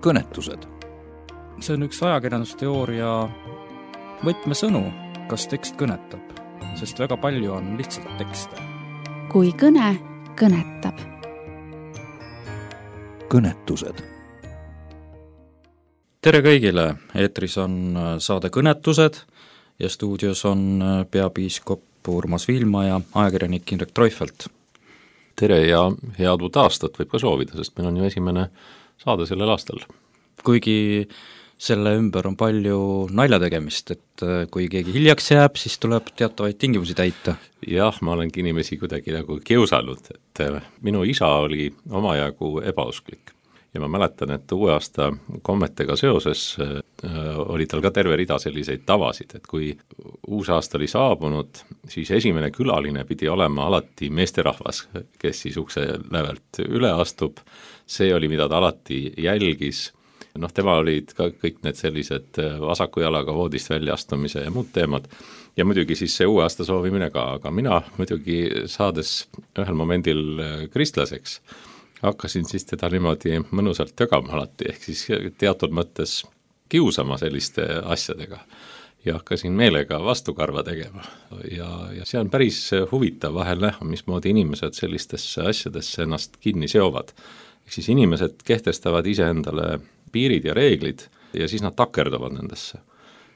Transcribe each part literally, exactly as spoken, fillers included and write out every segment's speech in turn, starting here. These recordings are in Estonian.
kõnetused. See on üks ajakirjandusteooria võtmesõnu, kas tekst kõnetab, sest väga palju on lihtsalt tekste. Kui kõne kõnetab. Kõnetused. Tere kõigile, eetris on saade Kõnetused ja stuudios on peapiiskop Urmas Viilma ja ajakirjanik Indrek Treufelt. Tere ja head uut aastat võib ka soovida, sest meil on ju esimene saade sellel aastal. Kuigi selle ümber on palju nalja tegemist, et kui keegi hiljaks jääb, siis tuleb teatavaid tingimusi täita. Jah, ma olengi inimesi kuidagi nagu kiusanud, et minu isa oli omajagu ebausklik. Ja ma mäletan, et uue aasta kommetega seoses äh, oli tal ka terve rida selliseid tavasid, et kui uus aasta oli saabunud, siis esimene külaline pidi olema alati meesterahvas, kes siis ukse lävelt üle astub. See oli, mida ta alati jälgis. Noh, tema olid ka kõik need sellised vasaku jalaga voodist väljaastumise ja muud teemad. Ja muidugi siis see uue aasta soovimine ka, aga mina muidugi saades ühel momendil kristlaseks, hakkasin siis teda niimoodi mõnusalt tögama alati, ehk siis teatud mõttes kiusama selliste asjadega ja hakkasin meelega vastukarva tegema. Ja, ja see on päris huvitav vahel näha, mismoodi inimesed sellistesse asjadesse ennast kinni seovad. Ehk siis inimesed kehtestavad iseendale piirid ja reeglid ja siis nad takerduvad nendesse.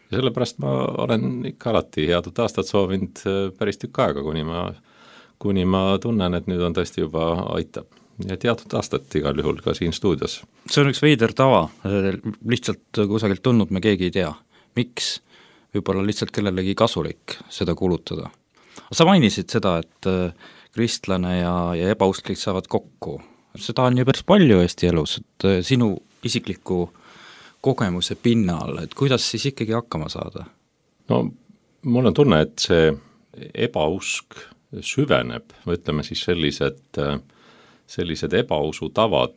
Ja sellepärast ma olen ikka alati head aastat soovinud päris tükk aega, kuni ma, kuni ma tunnen, et nüüd on tõesti juba aitab. Ja teatud aastat igal juhul ka siin stuudios. See on üks veider tava, lihtsalt kusagilt tulnud me keegi ei tea. Miks? Võib-olla lihtsalt kellelegi kasulik seda kulutada. Sa mainisid seda, et kristlane ja, ja ebausklik saavad kokku. Seda on ju päris palju Eesti elus, et sinu isikliku kogemuse pinnal, et kuidas siis ikkagi hakkama saada? No, mul on tunne, et see ebausk süveneb, või ütleme siis sellised sellised ebausu tavad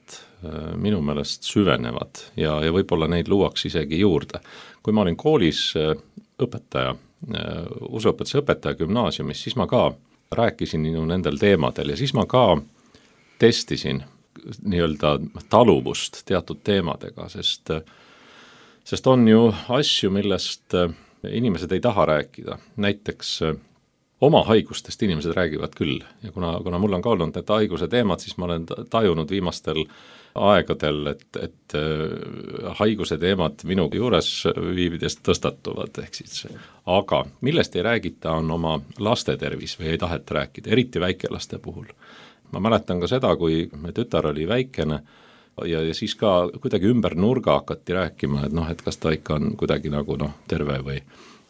minu meelest süvenevad ja, ja võib-olla neid luuaks isegi juurde. Kui ma olin koolis õpetaja, usuõpetuse õpetaja gümnaasiumis, siis ma ka rääkisin ju nendel teemadel ja siis ma ka testisin nii-öelda taluvust teatud teemadega, sest, sest on ju asju, millest inimesed ei taha rääkida. Näiteks oma haigustest inimesed räägivad küll ja kuna, kuna mul on ka olnud need haiguse teemad, siis ma olen tajunud viimastel aegadel, et, et haiguse teemad minu juures viibidest tõstatuvad. Ehk siis. Aga millest ei räägita, on oma laste tervis või ei taheta rääkida, eriti väikelaste puhul. Ma mäletan ka seda, kui me tütar oli väikene ja, ja siis ka kuidagi ümber nurga hakati rääkima, et, noh, et kas ta ikka on kuidagi nagu noh, terve või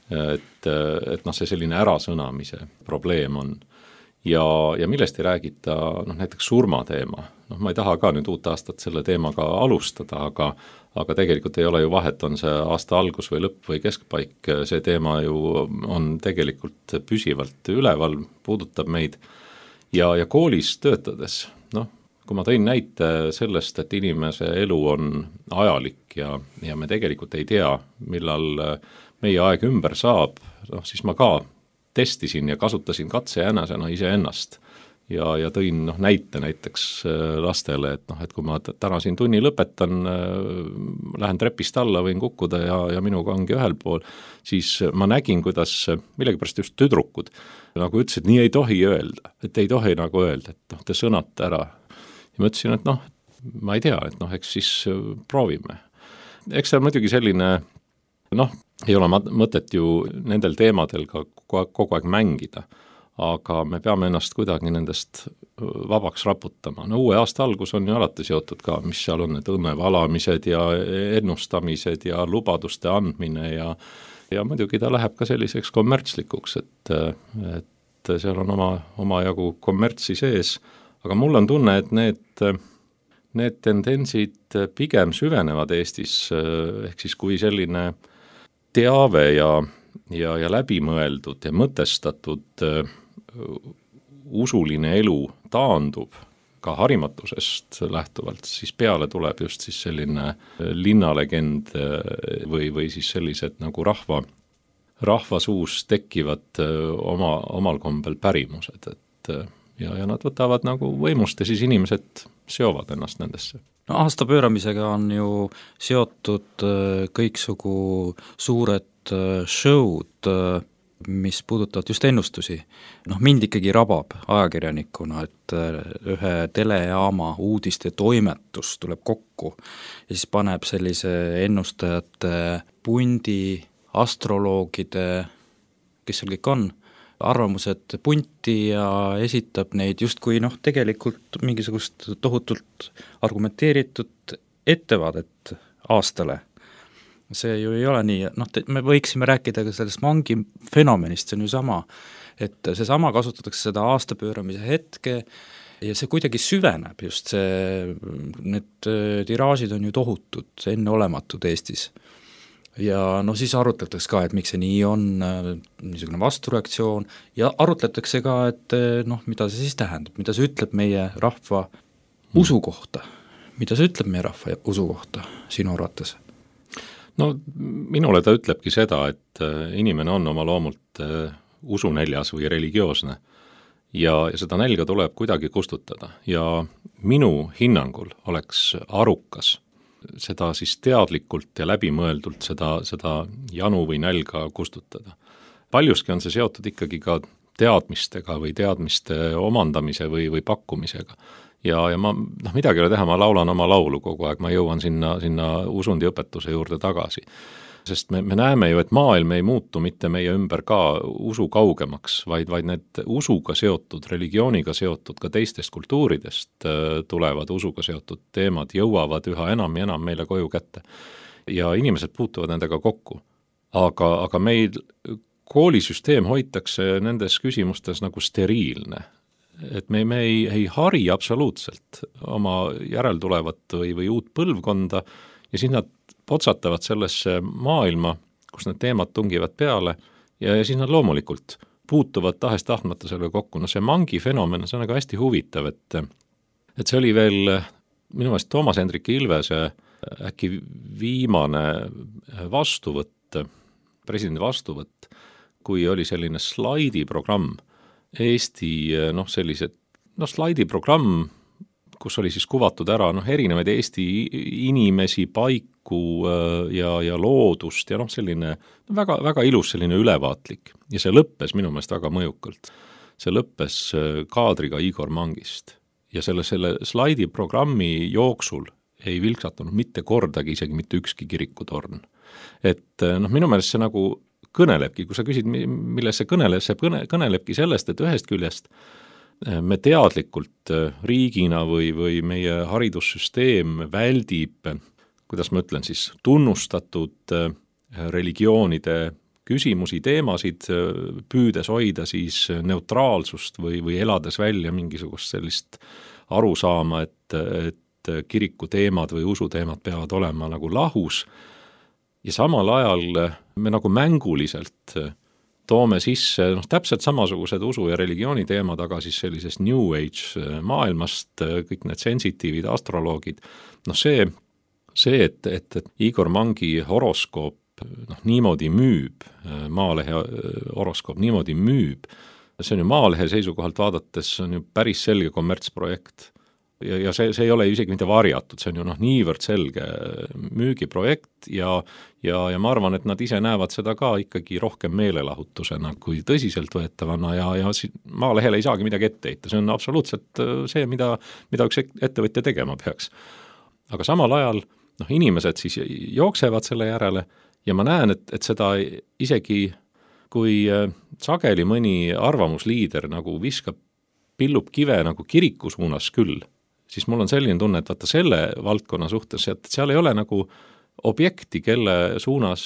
et, et noh, see selline ärasõnamise probleem on. Ja, ja millest ei räägita noh, näiteks surmateema. Noh, ma ei taha ka nüüd uut aastat selle teemaga alustada, aga, aga tegelikult ei ole ju vahet, on see aasta algus või lõpp või keskpaik. See teema ju on tegelikult püsivalt üleval, puudutab meid. Ja, ja koolis töötades, noh, kui ma tõin näite sellest, et inimese elu on ajalik ja, ja me tegelikult ei tea, millal meie aeg ümber saab, noh, siis ma ka testisin ja kasutasin katsejänäsena iseennast ja, ja tõin noh, näite näiteks lastele, et, noh, et kui ma täna siin tunni lõpetan, lähen trepist alla, võin kukkuda ja, ja minuga ongi ühel pool, siis ma nägin, kuidas millegipärast just tüdrukud nagu ütlesid, nii ei tohi öelda, et ei tohi nagu öelda, et noh, te sõnate ära. Ja ma ütlesin, et noh, ma ei tea, et noh, eks siis proovime. Eks see on muidugi selline, noh, ei ole mõtet ju nendel teemadel ka kogu aeg mängida, aga me peame ennast kuidagi nendest vabaks raputama. No uue aasta algus on ju alati seotud ka, mis seal on, need õnnevalamised ja ennustamised ja lubaduste andmine ja, ja muidugi ta läheb ka selliseks kommertslikuks, et, et seal on oma, oma jagu kommertsi sees, aga mul on tunne, et need, need tendentsid pigem süvenevad Eestis, ehk siis kui selline teave ja, ja, ja läbimõeldud ja mõtestatud uh, usuline elu taandub ka harimatusest lähtuvalt, siis peale tuleb just siis selline linnalegend või, või siis sellised nagu rahva, rahva suus tekkivad uh, oma, omal kombel pärimused, et uh, ja, ja nad võtavad nagu võimust ja siis inimesed seovad ennast nendesse. No aasta pööramisega on ju seotud kõiksugu suured show'd, mis puudutavad just ennustusi. Noh, mind ikkagi rabab ajakirjanikuna, et ühe telejaama uudiste toimetus tuleb kokku ja siis paneb sellise ennustajate pundi, astroloogide, kes seal kõik on, arvamused punti ja esitab neid justkui noh, tegelikult mingisugust tohutult argumenteeritud ettevaadet aastale. See ju ei ole nii, noh, me võiksime rääkida ka sellest mangi fenomenist, see on ju sama, et see sama kasutatakse seda aastapööramise hetke ja see kuidagi süveneb just see, need tiraažid on ju tohutud, enneolematud Eestis. Ja no siis arutletakse ka, et miks see nii on, niisugune vastureaktsioon ja arutletakse ka, et noh, mida see siis tähendab, mida see ütleb meie rahva usu kohta, mida see ütleb meie rahva usu kohta sinu arvates? No minule ta ütlebki seda, et inimene on oma loomult usunäljas või religioosne ja seda nälga tuleb kuidagi kustutada ja minu hinnangul oleks arukas seda siis teadlikult ja läbimõeldult seda, seda janu või nälga kustutada. Paljuski on see seotud ikkagi ka teadmistega või teadmiste omandamise või, või pakkumisega. Ja, ja ma, noh, midagi ei ole teha, ma laulan oma laulu kogu aeg, ma jõuan sinna, sinna usundiõpetuse juurde tagasi. Sest me, me näeme ju, et maailm ei muutu mitte meie ümber ka usu kaugemaks, vaid, vaid need usuga seotud, religiooniga seotud, ka teistest kultuuridest tulevad usuga seotud teemad, jõuavad üha enam ja enam meile koju kätte. Ja inimesed puutuvad nendega kokku. Aga, aga meil koolisüsteem hoitakse nendes küsimustes nagu steriilne. Et me, me ei, ei hari absoluutselt oma järeltulevat või, või uut põlvkonda ja siis nad potsatavad sellesse maailma, kus need teemad tungivad peale ja, ja siis nad loomulikult puutuvad tahes-tahtmata selle kokku. No see mangi fenomen, see on aga hästi huvitav, et, et see oli veel minu meelest Toomas Hendrik Ilvese äkki viimane vastuvõtt, presidendi vastuvõtt, kui oli selline slaidiprogramm, Eesti noh, sellised, noh, slaidiprogramm, kus oli siis kuvatud ära noh, erinevaid Eesti inimesi, paiku ja, ja loodust ja noh, selline väga, väga ilus selline ülevaatlik ja see lõppes minu meelest väga mõjukalt. See lõppes kaadriga Igor Mangist ja selle, selle slaidiprogrammi jooksul ei vilksatunud mitte kordagi isegi mitte ükski kirikutorn. Et noh, minu meelest see nagu kõnelebki, kui sa küsid, milles see kõneleb, see kõne, kõnelebki sellest, et ühest küljest me teadlikult riigina või, või meie haridussüsteem väldib, kuidas ma ütlen siis, tunnustatud religioonide küsimusi, teemasid, püüdes hoida siis neutraalsust või, või elades välja mingisugust sellist arusaama, et, et kiriku teemad või usuteemad peavad olema nagu lahus. Ja samal ajal me nagu mänguliselt toome sisse noh, täpselt samasugused usu- ja religiooni teemad, aga siis sellisest New Age maailmast, kõik need sensitiivid, astroloogid, noh see, see et, et, et Igor Mangi horoskoop noh, niimoodi müüb, Maalehe horoskoop niimoodi müüb, see on ju Maalehe seisukohalt vaadates, see on ju päris selge kommertsprojekt. Ja, ja see, see ei ole isegi mitte varjatud, see on ju noh, niivõrd selge müügiprojekt ja, ja, ja ma arvan, et nad ise näevad seda ka ikkagi rohkem meelelahutusena kui tõsiselt võetavana ja, ja Maalehele ei saagi midagi ette heita, see on absoluutselt see, mida, mida üks ettevõtja tegema peaks. Aga samal ajal noh, inimesed siis jooksevad selle järele ja ma näen, et, et seda isegi kui sageli mõni arvamusliider nagu viskab, pillub kive nagu kiriku suunas küll, siis mul on selline tunne, et vaata selle valdkonna suhtes, et seal ei ole nagu objekti, kelle suunas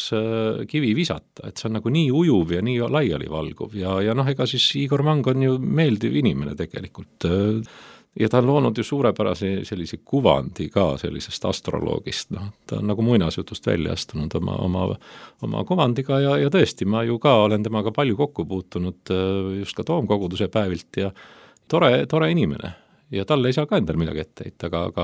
kivi visata, et see on nagu nii ujuv ja nii laiali valguv ja, ja noh, ega siis Igor Mang on ju meeldiv inimene tegelikult ja ta on loonud ju suurepärase sellise kuvandi ka sellisest astroloogist, noh, ta on nagu muinasjutust välja astunud oma, oma, oma kuvandiga ja, ja tõesti, ma ju ka olen temaga palju kokku puutunud just ka toomkoguduse päevilt ja tore, tore inimene ja talle ei saa ka endal midagi ette heita, aga, aga,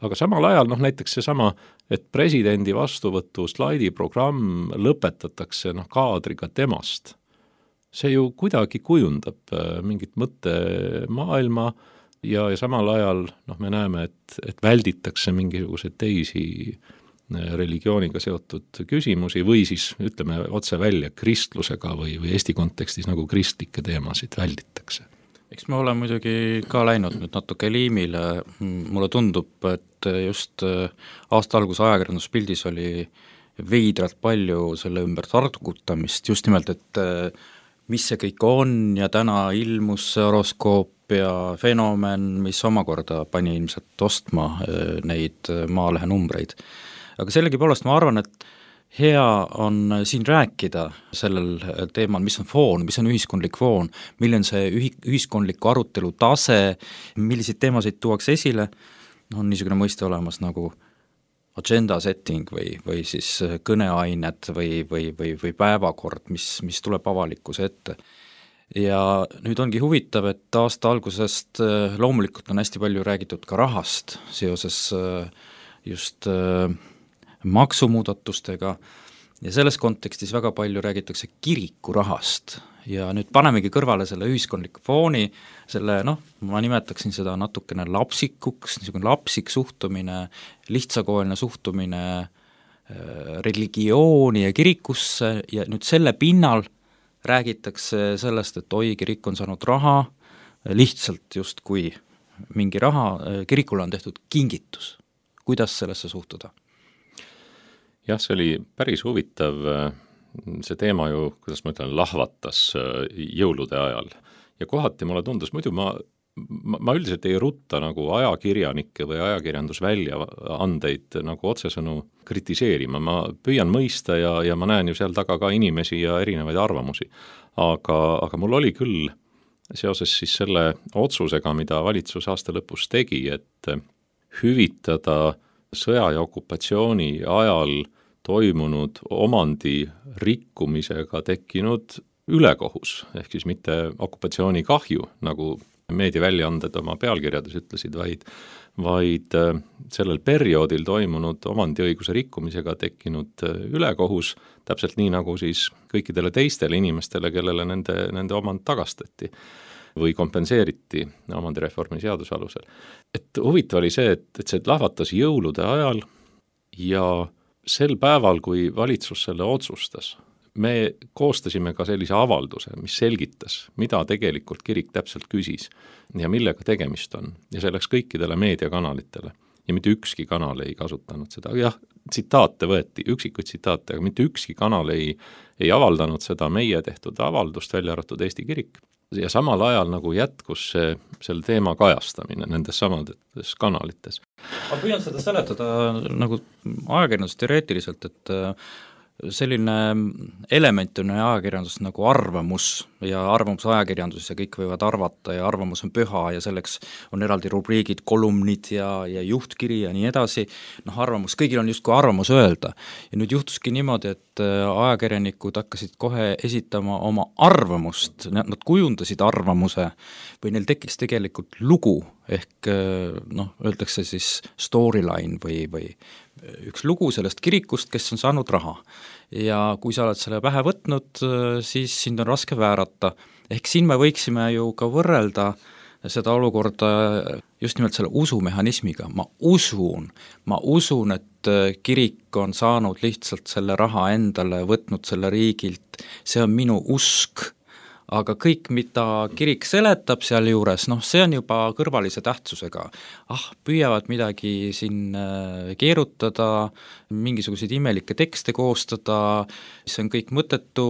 aga samal ajal noh, näiteks see sama, et presidendi vastuvõtu slaidiprogramm lõpetatakse noh, kaadriga temast. see ju kuidagi kujundab mingit mõttemaailma ja, ja samal ajal noh, me näeme, et, et välditakse mingisuguseid teisi religiooniga seotud küsimusi või siis ütleme otse välja kristlusega või, või Eesti kontekstis nagu kristlikke teemasid välditakse. Eks me oleme muidugi ka läinud nüüd natuke liimile, mulle tundub, et just aasta alguse ajakirjanduspildis oli veidralt palju selle ümber targutamist, just nimelt, et mis see kõik on ja täna ilmus see horoskoop ja fenomen, mis omakorda pani ilmselt ostma neid Maalehe numbreid. Aga sellegipoolest ma arvan, et hea on siin rääkida sellel teemal, mis on foon, mis on ühiskondlik foon, milline on see ühi-, ühiskondliku arutelu tase, milliseid teemasid tuuakse esile, on niisugune mõiste olemas nagu agenda setting või, või siis kõneained või, või, või, või päevakord, mis, mis tuleb avalikkuse ette. Ja nüüd ongi huvitav, et aasta algusest loomulikult on hästi palju räägitud ka rahast seoses just maksumuudatustega ja selles kontekstis väga palju räägitakse kiriku rahast ja nüüd panemegi kõrvale selle ühiskondliku fooni, selle noh, ma nimetaksin seda natukene lapsikuks, niisugune lapsik suhtumine, lihtsakoeline suhtumine religiooni ja kirikusse ja nüüd selle pinnal räägitakse sellest, et oi, kirik on saanud raha, lihtsalt justkui mingi raha, kirikule on tehtud kingitus. Kuidas sellesse suhtuda? Jah, see oli päris huvitav, see teema ju, kuidas ma ütlen, lahvatas jõulude ajal ja kohati mulle tundus, muidu ma, ma, ma üldiselt ei rutta nagu ajakirjanikke või ajakirjandusväljaandeid nagu otsesõnu kritiseerima, ma püüan mõista ja, ja ma näen ju seal taga ka inimesi ja erinevaid arvamusi, aga, aga mul oli küll seoses siis selle otsusega, mida valitsus aasta lõpus tegi, et hüvitada sõja ja okupatsiooni ajal toimunud omandi rikkumisega tekkinud ülekohus, ehk siis mitte okupatsiooni kahju, nagu meediaväljaanded oma pealkirjades ütlesid, vaid, vaid sellel perioodil toimunud omandiõiguse rikkumisega tekkinud ülekohus, täpselt nii nagu siis kõikidele teistele inimestele, kellele nende, nende omand tagastati või kompenseeriti omandireformi seaduse alusel. Et huvitav oli see, et, et see lahvatas jõulude ajal ja sel päeval, kui valitsus selle otsustas, me koostasime ka sellise avalduse, mis selgitas, mida tegelikult kirik täpselt küsis ja millega tegemist on. Ja see läks kõikidele meediakanalitele ja mitte ükski kanal ei kasutanud seda. Jah, tsitaate võeti, üksikuid tsitaate, aga mitte ükski kanal ei, ei avaldanud seda meie tehtud avaldust, välja arvatud Eesti kirik. Ja samal ajal nagu jätkus see, selle teema kajastamine nendes samades kanalites. Ma püüan seda seletada nagu ajakirjandus teoreetiliselt, et selline element on ajakirjandus nagu arvamus ja arvamus ajakirjanduses ja kõik võivad arvata ja arvamus on püha ja selleks on eraldi rubriigid, kolumnid ja, ja juhtkiri ja nii edasi. Noh, arvamus, kõigil on justkui arvamus öelda ja nüüd juhtuski niimoodi, et ajakirjanikud hakkasid kohe esitama oma arvamust, nad kujundasid arvamuse või neil tekkis tegelikult lugu ehk noh, öeldakse siis storyline või, või üks lugu sellest kirikust, kes on saanud raha. Ja kui sa oled selle pähe võtnud, siis sind on raske väärata. Ehk siin me võiksime ju ka võrrelda seda olukorda just nimelt selle usumehhanismiga. Ma usun, ma usun, et kirik on saanud lihtsalt selle raha endale, võtnud selle riigilt, see on minu usk. Aga kõik, mida kirik seletab seal juures, noh, see on juba kõrvalise tähtsusega. Ah, püüavad midagi siin keerutada, mingisuguseid imelikke tekste koostada, see on kõik mõttetu,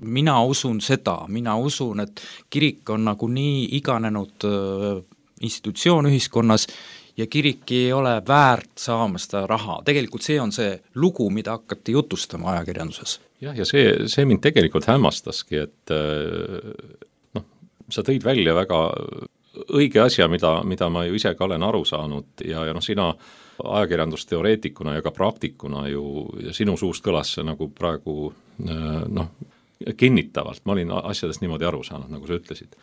mina usun seda, mina usun, et kirik on nagu nii iganenud institutsioon ühiskonnas ja kirik ei ole väärt saama seda raha. Tegelikult see on see lugu, mida hakati jutustama ajakirjanduses. Jah, ja see, see mind tegelikult hämmastaski, et noh, sa tõid välja väga õige asja, mida, mida ma ju ise ka olen aru saanud ja, ja noh, sina ajakirjandusteoreetikuna ja ka praktikuna ju, ja sinu suust kõlas see nagu praegu noh, kinnitavalt, ma olin asjadest niimoodi aru saanud, nagu sa ütlesid.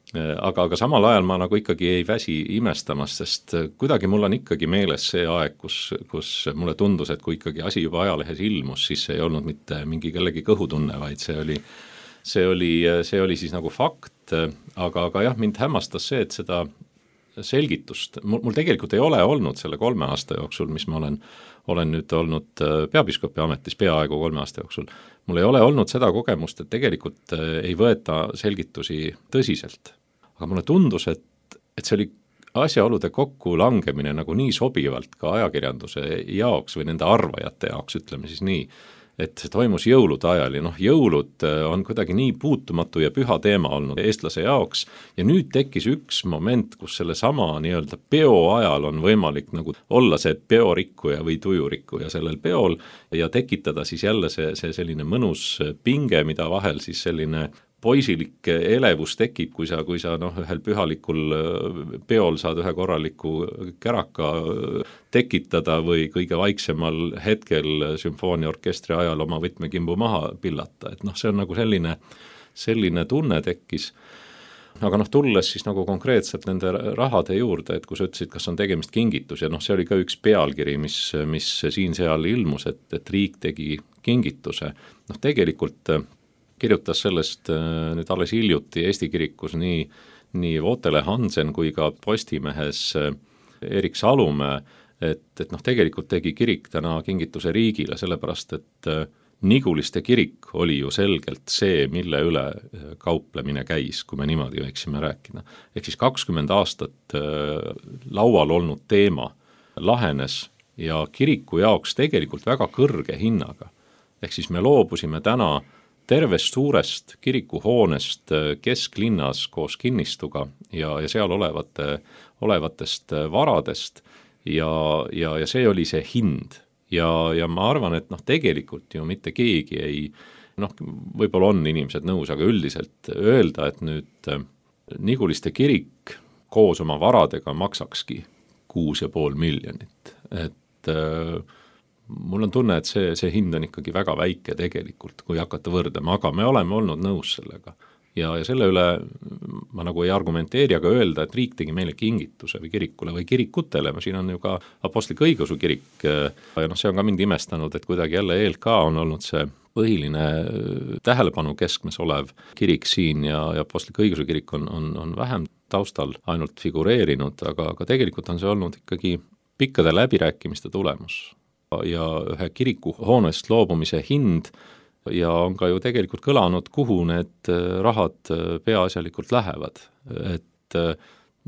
Aga, aga samal ajal ma nagu ikkagi ei väsi imestamast, sest kuidagi mul on ikkagi meeles see aeg, kus, kus mulle tundus, et kui ikkagi asi juba ajalehes ilmus, siis see ei olnud mitte mingi kellegi kõhutunne, vaid see oli, see oli, see oli siis nagu fakt, aga, aga jah, mind hämmastas see, et seda selgitust, mul, mul tegelikult ei ole olnud selle kolme aasta jooksul, mis ma olen, olen nüüd olnud peapiiskopi ametis peaaegu kolme aasta jooksul, mul ei ole olnud seda kogemust, et tegelikult ei võeta selgitusi tõsiselt. Aga mulle tundus, et, et see oli asjaolude kokku langemine nagu nii sobivalt ka ajakirjanduse jaoks või nende arvajate jaoks, ütleme siis nii, et see toimus jõulude ajal ja noh, jõulud on kuidagi nii puutumatu ja püha teema olnud eestlase jaoks ja nüüd tekkis üks moment, kus selle sama nii-öelda peo ajal on võimalik nagu olla see peorikkuja või tujurikkuja sellel peol ja tekitada siis jälle see, see selline mõnus pinge, mida vahel siis selline poisilik elevus tekib, kui sa, kui sa noh, ühel pühalikul peol saad ühe korraliku käraka tekitada või kõige vaiksemal hetkel sümfooniaorkestri ajal oma võtmekimbu maha pillata, et noh, see on nagu selline, selline tunne tekkis. Aga noh, tulles siis nagu konkreetselt nende rahade juurde, et kui sa ütlesid, kas on tegemist kingitus ja noh, see oli ka üks pealkiri, mis, mis siin-seal ilmus, et, et riik tegi kingituse. Noh, tegelikult kirjutas sellest nüüd alles hiljuti Eesti kirikus nii, nii Vootele Hansen kui ka Postimehes Erik Salumäe, et, et noh, tegelikult tegi kirik täna kingituse riigile, sellepärast et Niguliste kirik oli ju selgelt see, mille üle kauplemine käis, kui me niimoodi võiksime rääkida. Ehk siis kakskümmend aastat laual olnud teema lahenes ja kiriku jaoks tegelikult väga kõrge hinnaga. Ehk siis me loobusime täna tervest suurest kirikuhoonest kesklinnas koos kinnistuga ja, ja seal olevate, olevatest varadest ja, ja, ja see oli see hind. Ja, ja ma arvan, et noh, tegelikult ju mitte keegi ei, noh, võib-olla on inimesed nõus, aga üldiselt öelda, et nüüd Niguliste kirik koos oma varadega maksakski kuus ja pool miljonit. Et mul on tunne, et see, see hind on ikkagi väga väike tegelikult, kui hakata võrdama, aga me oleme olnud nõus sellega. Ja, ja selle üle ma nagu ei argumenteeri, aga öelda, et riik tegi meile kingituse või kirikule või kirikutele, siin on ju ka Apostlik Õigeusu kirik ja noh, see on ka mind imestanud, et kuidagi jälle E L K on olnud see põhiline tähelepanu keskmes olev kirik siin ja, ja Apostlik Õigeusu kirik on, on, on vähem taustal ainult figureerinud, aga, aga tegelikult on see olnud ikkagi pikkade läbirääkimiste tulemus. Ja ühe kiriku hoonest loobumise hind ja on ka ju tegelikult kõlanud, kuhu need rahad peaasjalikult lähevad. Et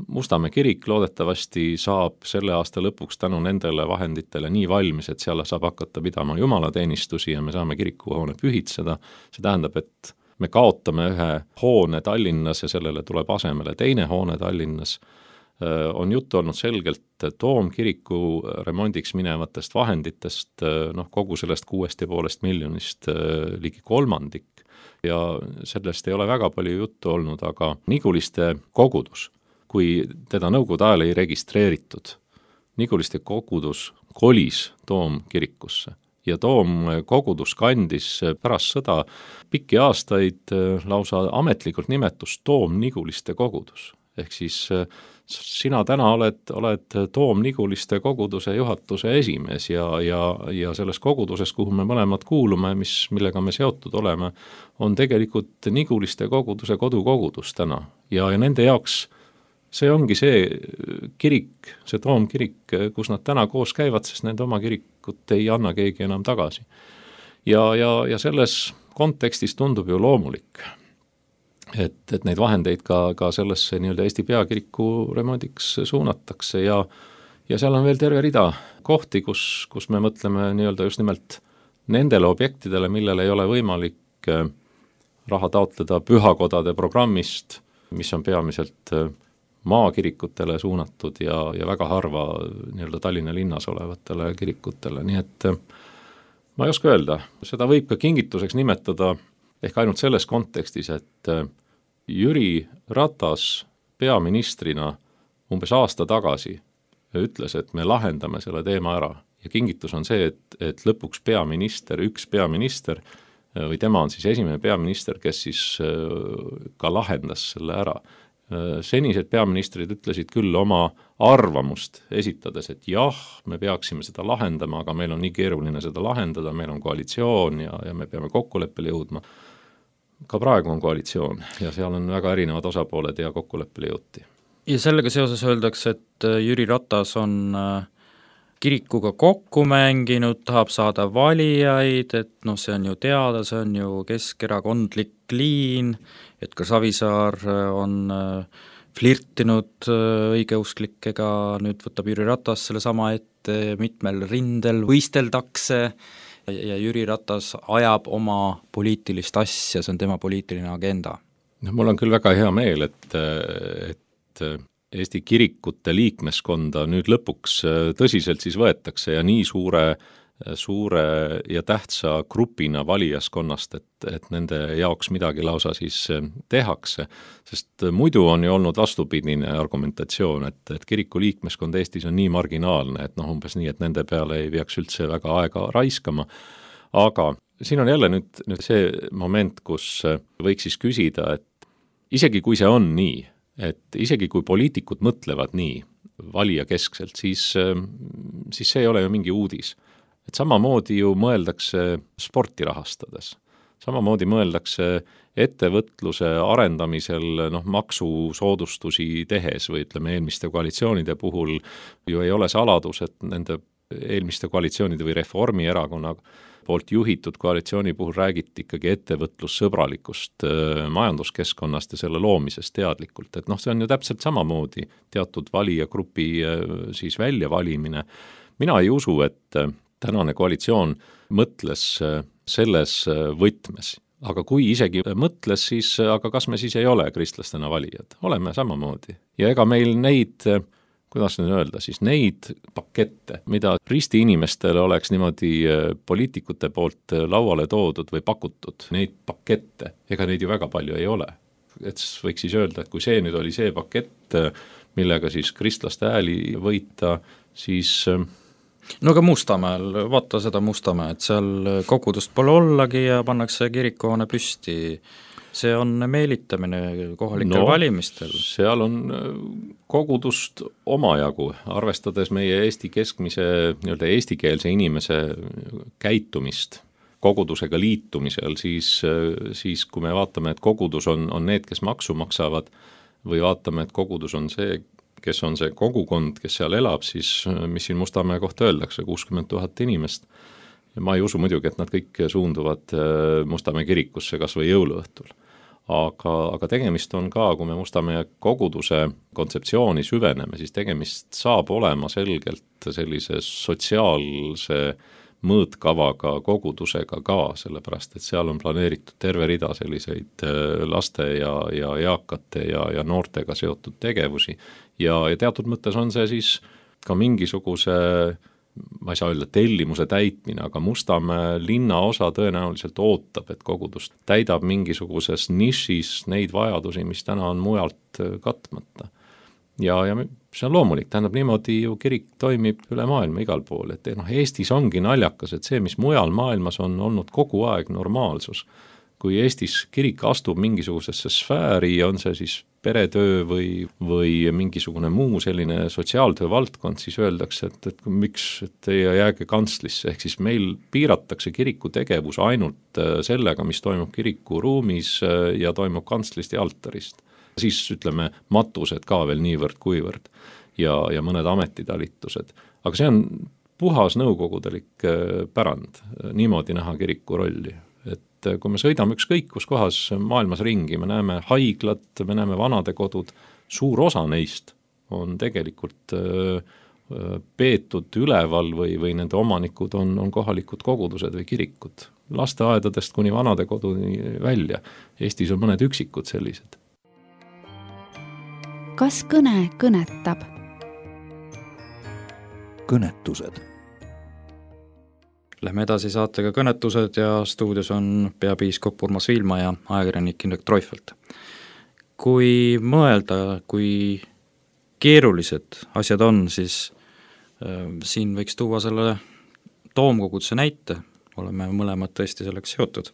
Mustamäe kirik loodetavasti saab selle aasta lõpuks tänu nendele vahenditele nii valmis, et seal saab hakata pidama jumalateenistusi ja me saame kirikuhoone pühitseda. See tähendab, et me kaotame ühe hoone Tallinnas ja sellele tuleb asemele teine hoone Tallinnas. On juttu olnud selgelt Toomkiriku remondiks minevatest vahenditest, noh, kogu sellest kuuest ja poolest miljonist ligi kolmandik ja sellest ei ole väga palju juttu olnud, aga Niguliste kogudus, kui teda nõukogude ajal ei registreeritud, Niguliste kogudus kolis Toomkirikusse ja Toomkogudus kandis pärast sõda pikki aastaid lausa ametlikult nimetust Toom-Niguliste kogudus. Ehk siis sina täna oled, oled Toom-Niguliste koguduse juhatuse esimees ja, ja, ja selles koguduses, kuhu me mõlemad kuulume, mis, millega me seotud oleme, on tegelikult Niguliste koguduse kodukogudus täna. Ja, ja nende jaoks see ongi see kirik, see Toomkirik, kus nad täna koos käivad, sest nende oma kirikut ei anna keegi enam tagasi. Ja, ja, ja selles kontekstis tundub ju loomulik, et, et neid vahendeid ka, ka sellesse nii-öelda Eesti peakiriku remondiks suunatakse ja, ja seal on veel terve rida kohti, kus, kus me mõtleme nii-öelda just nimelt nendele objektidele, millele ei ole võimalik raha taotleda pühakodade programmist, mis on peamiselt maakirikutele suunatud ja, ja väga harva nii-öelda Tallinna linnas olevatele kirikutele, nii et ma ei oska öelda, seda võib ka kingituseks nimetada ehk ainult selles kontekstis, et Jüri Ratas peaministrina umbes aasta tagasi ütles, et me lahendame selle teema ära ja kingitus on see, et, et lõpuks peaminister, üks peaminister või tema on siis esimene peaminister, kes siis ka lahendas selle ära. Senised peaministrid ütlesid küll oma arvamust esitades, et jah, me peaksime seda lahendama, aga meil on nii keeruline seda lahendada, meil on koalitsioon ja, ja me peame kokkuleppele jõudma. ka praegu on koalitsioon ja seal on väga erinevad osapooled ja kokkuleppele jõuti. Ja sellega seoses öeldakse, et Jüri Ratas on kirikuga kokku mänginud, tahab saada valijaid, et noh, see on ju teada, see on ju keskerakondlik liin, et ka Savisaar on flirtinud õigeusklikega, nüüd võtab Jüri Ratas selle sama ette, mitmel rindel võisteldakse ja Jüri Ratas ajab oma poliitilist asja, see on tema poliitiline agenda. No, mul on küll väga hea meel, et, et Eesti kirikute liikmeskonda nüüd lõpuks tõsiselt siis võetakse ja nii suure suure ja tähtsa grupina valijaskonnast, et, et nende jaoks midagi lausa siis tehakse, sest muidu on ju olnud vastupidine argumentatsioon, et, et kiriku liikmeskond Eestis on nii marginaalne, et noh, umbes nii, et nende peale ei peaks üldse väga aega raiskama, aga siin on jälle nüüd, nüüd see moment, kus võiks siis küsida, et isegi kui see on nii, et isegi kui poliitikud mõtlevad nii valija keskselt, siis, siis see ei ole ju mingi uudis. Et samamoodi ju mõeldakse sporti rahastades, samamoodi mõeldakse ettevõtluse arendamisel noh, maksusoodustusi tehes või ütleme eelmiste koalitsioonide puhul ju ei ole saladus, et nende eelmiste koalitsioonide või Reformierakonna poolt juhitud koalitsiooni puhul räägiti ikkagi ettevõtlussõbralikust majanduskeskkonnast ja selle loomisest teadlikult, et noh, see on ju täpselt samamoodi teatud valijagrupi siis väljavalimine. Mina ei usu, et tänane koalitsioon mõtles selles võtmes, aga kui isegi mõtles, siis aga kas me siis ei ole kristlastena valijad? Oleme samamoodi. Ja ega meil neid, kuidas nüüd öelda, siis neid pakette, mida risti inimestele oleks niimoodi poliitikute poolt lauale toodud või pakutud, neid pakette, ega neid ju väga palju ei ole. Et võiks siis öelda, et kui see nüüd oli see pakett, millega siis kristlaste ääli võita, siis no aga Mustamäel, vaata seda Mustamäe, et seal kogudust pole ollagi ja pannakse kirikuhoone püsti. See on meelitamine kohalikel no, valimistel. Seal on kogudust omajagu, arvestades meie Eesti keskmise, nii-öelda eestikeelse inimese käitumist kogudusega liitumisel, siis, siis kui me vaatame, et kogudus on, on need, kes maksu maksavad, või vaatame, et kogudus on see, kes on see kogukond, kes seal elab, siis mis siin Mustamäe kohta öeldakse, kuuskümmend tuhat inimest. Ja ma ei usu muidugi, et nad kõik suunduvad Mustamäe kirikusse kas või jõuluõhtul. Aga, aga tegemist on ka, kui me Mustamäe koguduse kontseptsiooni süveneme, siis tegemist saab olema selgelt sellise sotsiaalse mõõtkavaga kogudusega ka, sellepärast et seal on planeeritud terve rida selliseid laste ja, ja eakate ja, ja noortega seotud tegevusi ja, ja teatud mõttes on see siis ka mingisuguse, ma ei saa öelda tellimuse täitmine, aga Mustamäe linnaosa tõenäoliselt ootab, et kogudust täidab mingisuguses nišis neid vajadusi, mis täna on mujalt katmata. Ja, ja see on loomulik, tähendab niimoodi ju kirik toimib üle maailma igal pool, et noh, Eestis ongi naljakas, et see, mis mujal maailmas on olnud kogu aeg normaalsus, kui Eestis kirik astub mingisugusesse sfääri, on see siis peretöö või, või mingisugune muu selline sotsiaaltöö valdkond, siis öeldakse, et, et miks et ei jääge kantslisse, ehk siis meil piiratakse kiriku tegevus ainult sellega, mis toimub kiriku ruumis ja toimub kantslist ja altarist. Siis ütleme matused ka veel niivõrd kuivõrd ja, ja mõned ametitalitused. Aga see on puhas nõukogudelik pärand, niimoodi näha kiriku rolli. Et kui me sõidame ükskõik kus kohas maailmas ringi, me näeme haiglat, me näeme vanadekodud, suur osa neist on tegelikult peetud üleval või, või nende omanikud on, on kohalikud kogudused või kirikud. Lasteaedadest kuni vanadekoduni välja. Eestis on mõned üksikud sellised. Kas kõne kõnetab? Kõnetused. Lähme edasi saatega Kõnetused ja stuudios on peapiiskop Urmas Viilma ja ajakirjanik Indrek Treufelt. Kui mõelda, kui keerulised asjad on, siis äh, siin võiks tuua selle toomkoguduse näite, oleme mõlemad tõesti selleks seotud.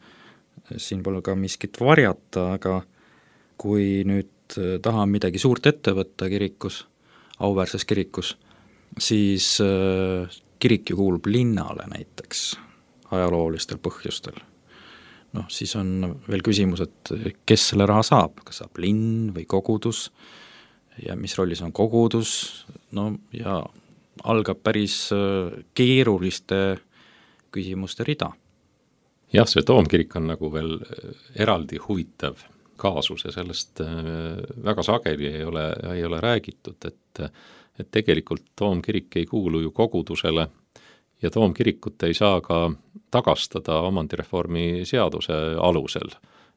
Siin pole ka miskit varjata, aga kui nüüd tahan midagi suurt ette võtta kirikus, auväärses kirikus, siis kirik ju kuulub linnale näiteks ajaloolistel põhjustel. noh, siis on veel küsimus, et kes selle raha saab, kas saab linn või kogudus ja mis rollis on kogudus, no ja algab päris keeruliste küsimuste rida. Jah, see Toomkirik on nagu veel eraldi huvitav kaasus ja sellest väga sageli ei ole, ei ole räägitud, et, et tegelikult Toomkirik ei kuulu ju kogudusele ja Toomkirikut ei saa ka tagastada omandireformi seaduse alusel.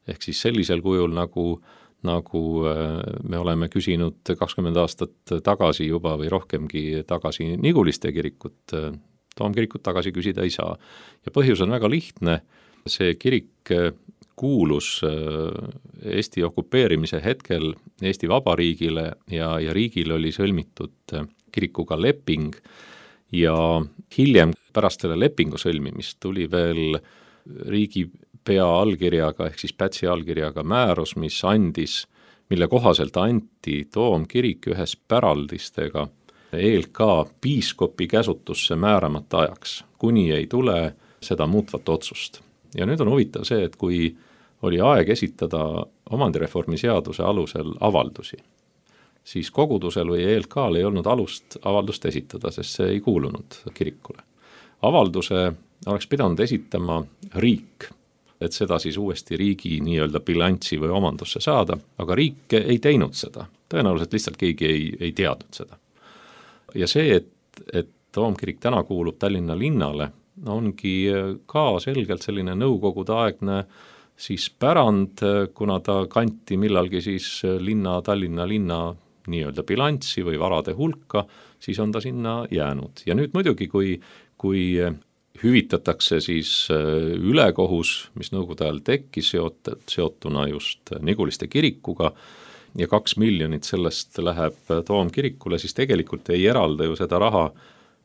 Ehk siis sellisel kujul, nagu, nagu me oleme küsinud kakskümmend aastat tagasi juba või rohkemgi tagasi Niguliste kirikut, Toomkirikut tagasi küsida ei saa. Ja põhjus on väga lihtne, see kirik kuulus Eesti okupeerimise hetkel Eesti Vabariigile ja, ja riigil oli sõlmitud kirikuga leping ja hiljem pärast selle lepingu sõlmimist tuli veel riigipea allkirjaga ehk siis Pätsi allkirjaga määrus, mis andis, mille kohaselt anti Toomkirik ühes päraldistega E L K piiskopi käsutusse määramata ajaks, kuni ei tule seda muutvat otsust. Ja nüüd on huvitav see, et kui oli aeg esitada omandireformi seaduse alusel avaldusi, siis kogudusel või E L K-l ei olnud alust avaldust esitada, sest see ei kuulunud kirikule. Avalduse oleks pidanud esitama riik, et seda siis uuesti riigi nii-öelda bilanssi või omandusse saada, aga riik ei teinud seda. Tõenäoliselt lihtsalt keegi ei, ei teadnud seda. Ja see, et, et Toomkirik täna kuulub Tallinna linnale, ongi ka selgelt selline nõukogude aegne siis pärand, kuna ta kanti millalgi siis linna, Tallinna linna nii-öelda bilanssi või varade hulka, siis on ta sinna jäänud. Ja nüüd muidugi, kui, kui hüvitatakse siis ülekohus, mis nõukogude ajal tekkis seot, seotuna just Niguliste kirikuga ja kaks miljonit sellest läheb Toomkirikule, siis tegelikult ei eralda ju seda raha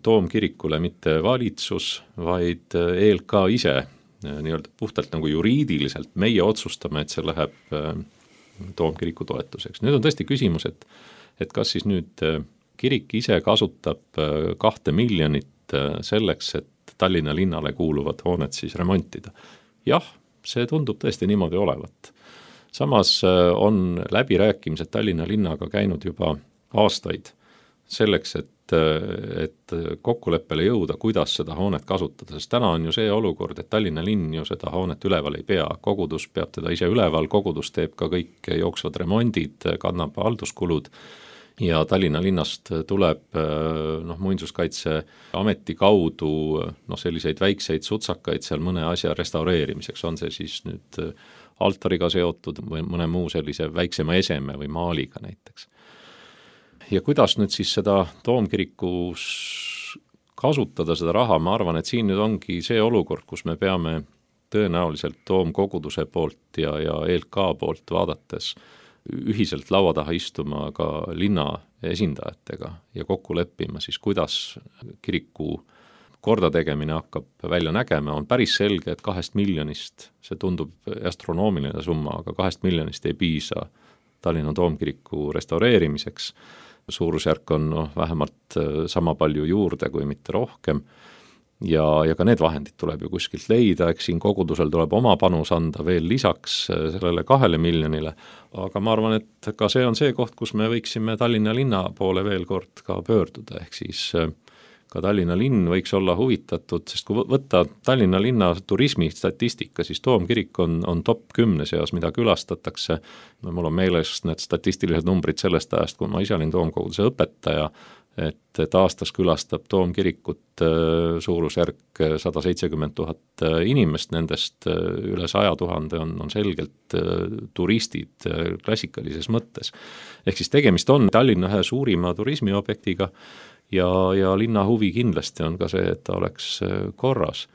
Toomkirikule mitte valitsus, vaid E L K ise, nii-öelda puhtalt nagu juriidiliselt meie otsustame, et see läheb Toomkiriku toetuseks. Nüüd on tõesti küsimus, et, et kas siis nüüd kirik ise kasutab kahte miljonit selleks, et Tallinna linnale kuuluvad hooned siis remontida. Jah, see tundub tõesti niimoodi olevat. Samas on läbirääkimised Tallinna linnaga käinud juba aastaid selleks, et et kokkuleppele jõuda, kuidas seda hoonet kasutada, sest täna on ju see olukord, et Tallinna linn ju seda hoonet üleval ei pea, kogudus peab teda ise üleval, kogudus teeb ka kõik jooksvad remondid, kannab halduskulud ja Tallinna linnast tuleb noh, muinsuskaitse ameti kaudu noh, selliseid väikseid sutsakaid seal mõne asja restaureerimiseks, on see siis nüüd altariga seotud või mõne muu sellise väiksema eseme või maaliga näiteks. Ja kuidas nüüd siis seda Toomkirikus kasutada seda raha, ma arvan, et siin nüüd ongi see olukord, kus me peame tõenäoliselt Toomkoguduse poolt ja, ja E L K poolt vaadates ühiselt laua taha istuma ka linna esindajatega ja kokku leppima siis, kuidas kiriku kordategemine hakkab välja nägema. On päris selge, et kahest miljonist, see tundub astronoomiline summa, aga kahest miljonist ei piisa Tallinna Toomkiriku restaureerimiseks. Suurusjärk on no, vähemalt sama palju juurde kui mitte rohkem ja, ja ka need vahendid tuleb ju kuskilt leida, eks siin kogudusel tuleb oma panus anda veel lisaks sellele kahele miljonile, aga ma arvan, et ka see on see koht, kus me võiksime Tallinna linna poole veel kord ka pöörduda, ehk siis ka Tallinna linn võiks olla huvitatud, sest kui võtta Tallinna linna turismistatistika, siis Toomkirik on, on top kümne seas, mida külastatakse. No, mul on meeles need statistilised numbrid sellest ajast, kui ma ise olin Toomkoguduse õpetaja, et, et aastas külastab Toomkirikut suurusjärk sada seitsekümmend tuhat inimest, nendest üle saja tuhande on, on selgelt turistid klassikalises mõttes. Ehk siis tegemist on Tallinna ühe suurima turismiobjektiga, ja, ja linna huvi kindlasti on ka see, et ta oleks korras.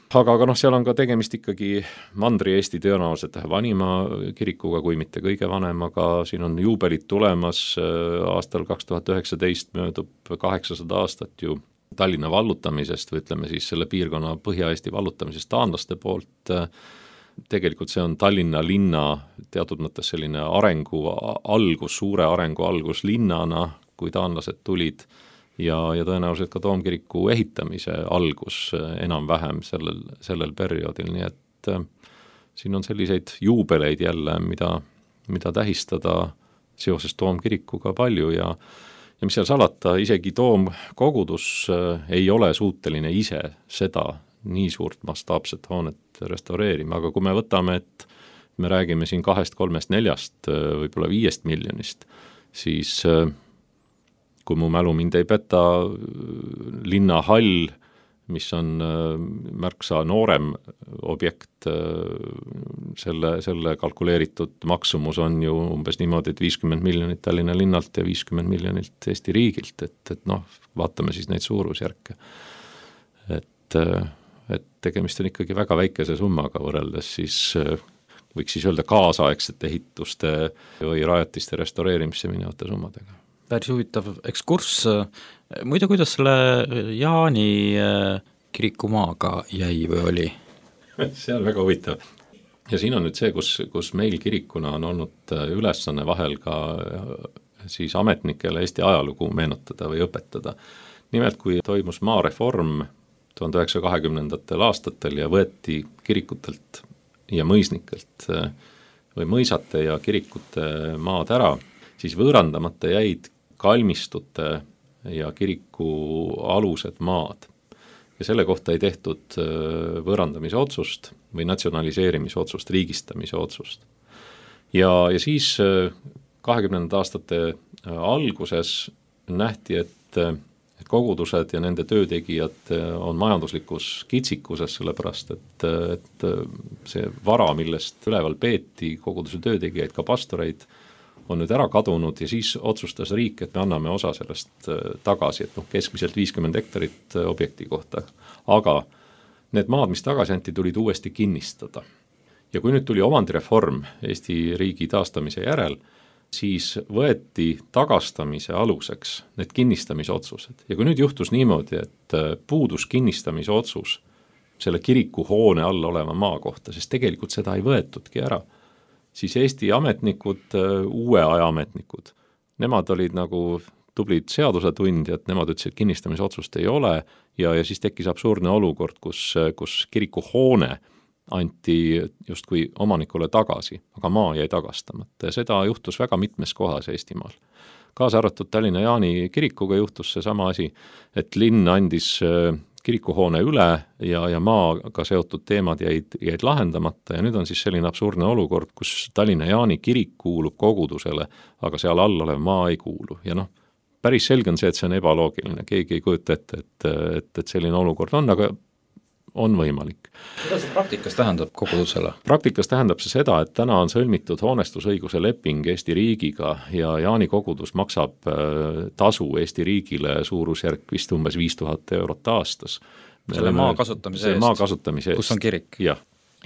Aga, aga noh, seal on ka tegemist ikkagi Mandri-Eesti tõenäoliselt vanima kirikuga, kui mitte kõige vanemaga, siin on juubelit tulemas, aastal kaks tuhat üheksateist möödub kaheksasada aastat ju Tallinna vallutamisest või ütleme siis selle piirkonna Põhja-Eesti vallutamisest taanlaste poolt. Tegelikult see on Tallinna linna teatud mõttes selline arengu algus, suure arengu algus linnana, kui taanlased tulid ja, ja tõenäoliselt ka Toomkiriku ehitamise algus enam-vähem sellel, sellel perioodil, nii et siin on selliseid juubeleid jälle, mida, mida tähistada seoses toomkirikuga palju ja ja mis seal salata, isegi toomkogudus ei ole suuteline ise seda nii suurt mastaapset hoonet restaureerima, aga kui me võtame, et me räägime siin kahest, kolmest, neljast, võib-olla viiest miljonist, siis kui mu mälu mind ei peta, linnahall, mis on märksa noorem objekt, selle, selle kalkuleeritud maksumus on ju umbes niimoodi, et viiskümmend miljonit Tallinna linnalt ja viiskümmend miljonit Eesti riigilt, et, et noh, vaatame siis neid suurusjärke. Et, et tegemist on ikkagi väga väikese summaga võrreldes siis, võiks siis öelda kaasaegsete ehituste või rajatiste restaureerimisse minevate summadega. Päris huvitav ekskurss. Muide, kuidas selle Jaani kirikumaaga jäi või oli? See on väga huvitav. Ja siin on nüüd see, kus, kus meil kirikuna on olnud ülesanne vahel ka siis ametnikele Eesti ajalugu meenutada või õpetada. Nimelt, kui toimus maareform tuhande üheksasaja kahekümnendatel aastatel ja võeti kirikutelt ja mõisnikelt või mõisate ja kirikute maad ära, siis võõrandamata jäid kalmistute ja kiriku alused maad. Ja selle kohta ei tehtud võõrandamise otsust või natsionaliseerimise otsust, riigistamise otsust. Ja, ja siis kahekümnendate aastate alguses nähti, et, et kogudused ja nende töötegijad on majanduslikus kitsikuses, sellepärast et, et see vara, millest üleval peeti koguduse töötegijaid, ka pastoreid, on nüüd ära kadunud ja siis otsustas riik, et me anname osa sellest tagasi, et noh, keskmiselt viiskümmend hektarit objekti kohta. Aga need maad, mis tagasi anti, tulid uuesti kinnistada. Ja kui nüüd tuli omandireform Eesti riigi taastamise järel, siis võeti tagastamise aluseks need kinnistamise otsused. Ja kui nüüd juhtus niimoodi, et puudus kinnistamise otsus selle kiriku hoone all oleva maa kohta, sest tegelikult seda ei võetudki ära, siis Eesti ametnikud, uue aja ametnikud, nemad olid nagu tublid seadusetundjad, nemad ütlesid, et kinnistamise otsust ei ole ja, ja siis tekkis absurdne olukord, kus, kus kiriku hoone anti justkui omanikule tagasi, aga maa jäi tagastamata ja seda juhtus väga mitmes kohas Eestimaal. Kaasa arvatud Tallinna Jaani kirikuga juhtus see sama asi, et linn andis kirikuhoone üle ja, ja maaga seotud teemad jäid, jäid lahendamata ja nüüd on siis selline absurdne olukord, kus Tallinna Jaani kirik kuulub kogudusele, aga seal all olev maa ei kuulu. Ja noh, päris selge on see, et see on ebaloogiline, keegi ei kujuta ette, et, et, et selline olukord on, aga on võimalik. Mida see praktikas tähendab kogudusele? Praktikas tähendab see seda, et täna on sõlmitud hoonestusõiguse leping Eesti riigiga ja Jaani kogudus maksab tasu Eesti riigile suurusjärk vist umbes viis tuhat eurot aastas. Selle maa kasutamise eest, maa kasutamise eest. Kus on kirik. Ja.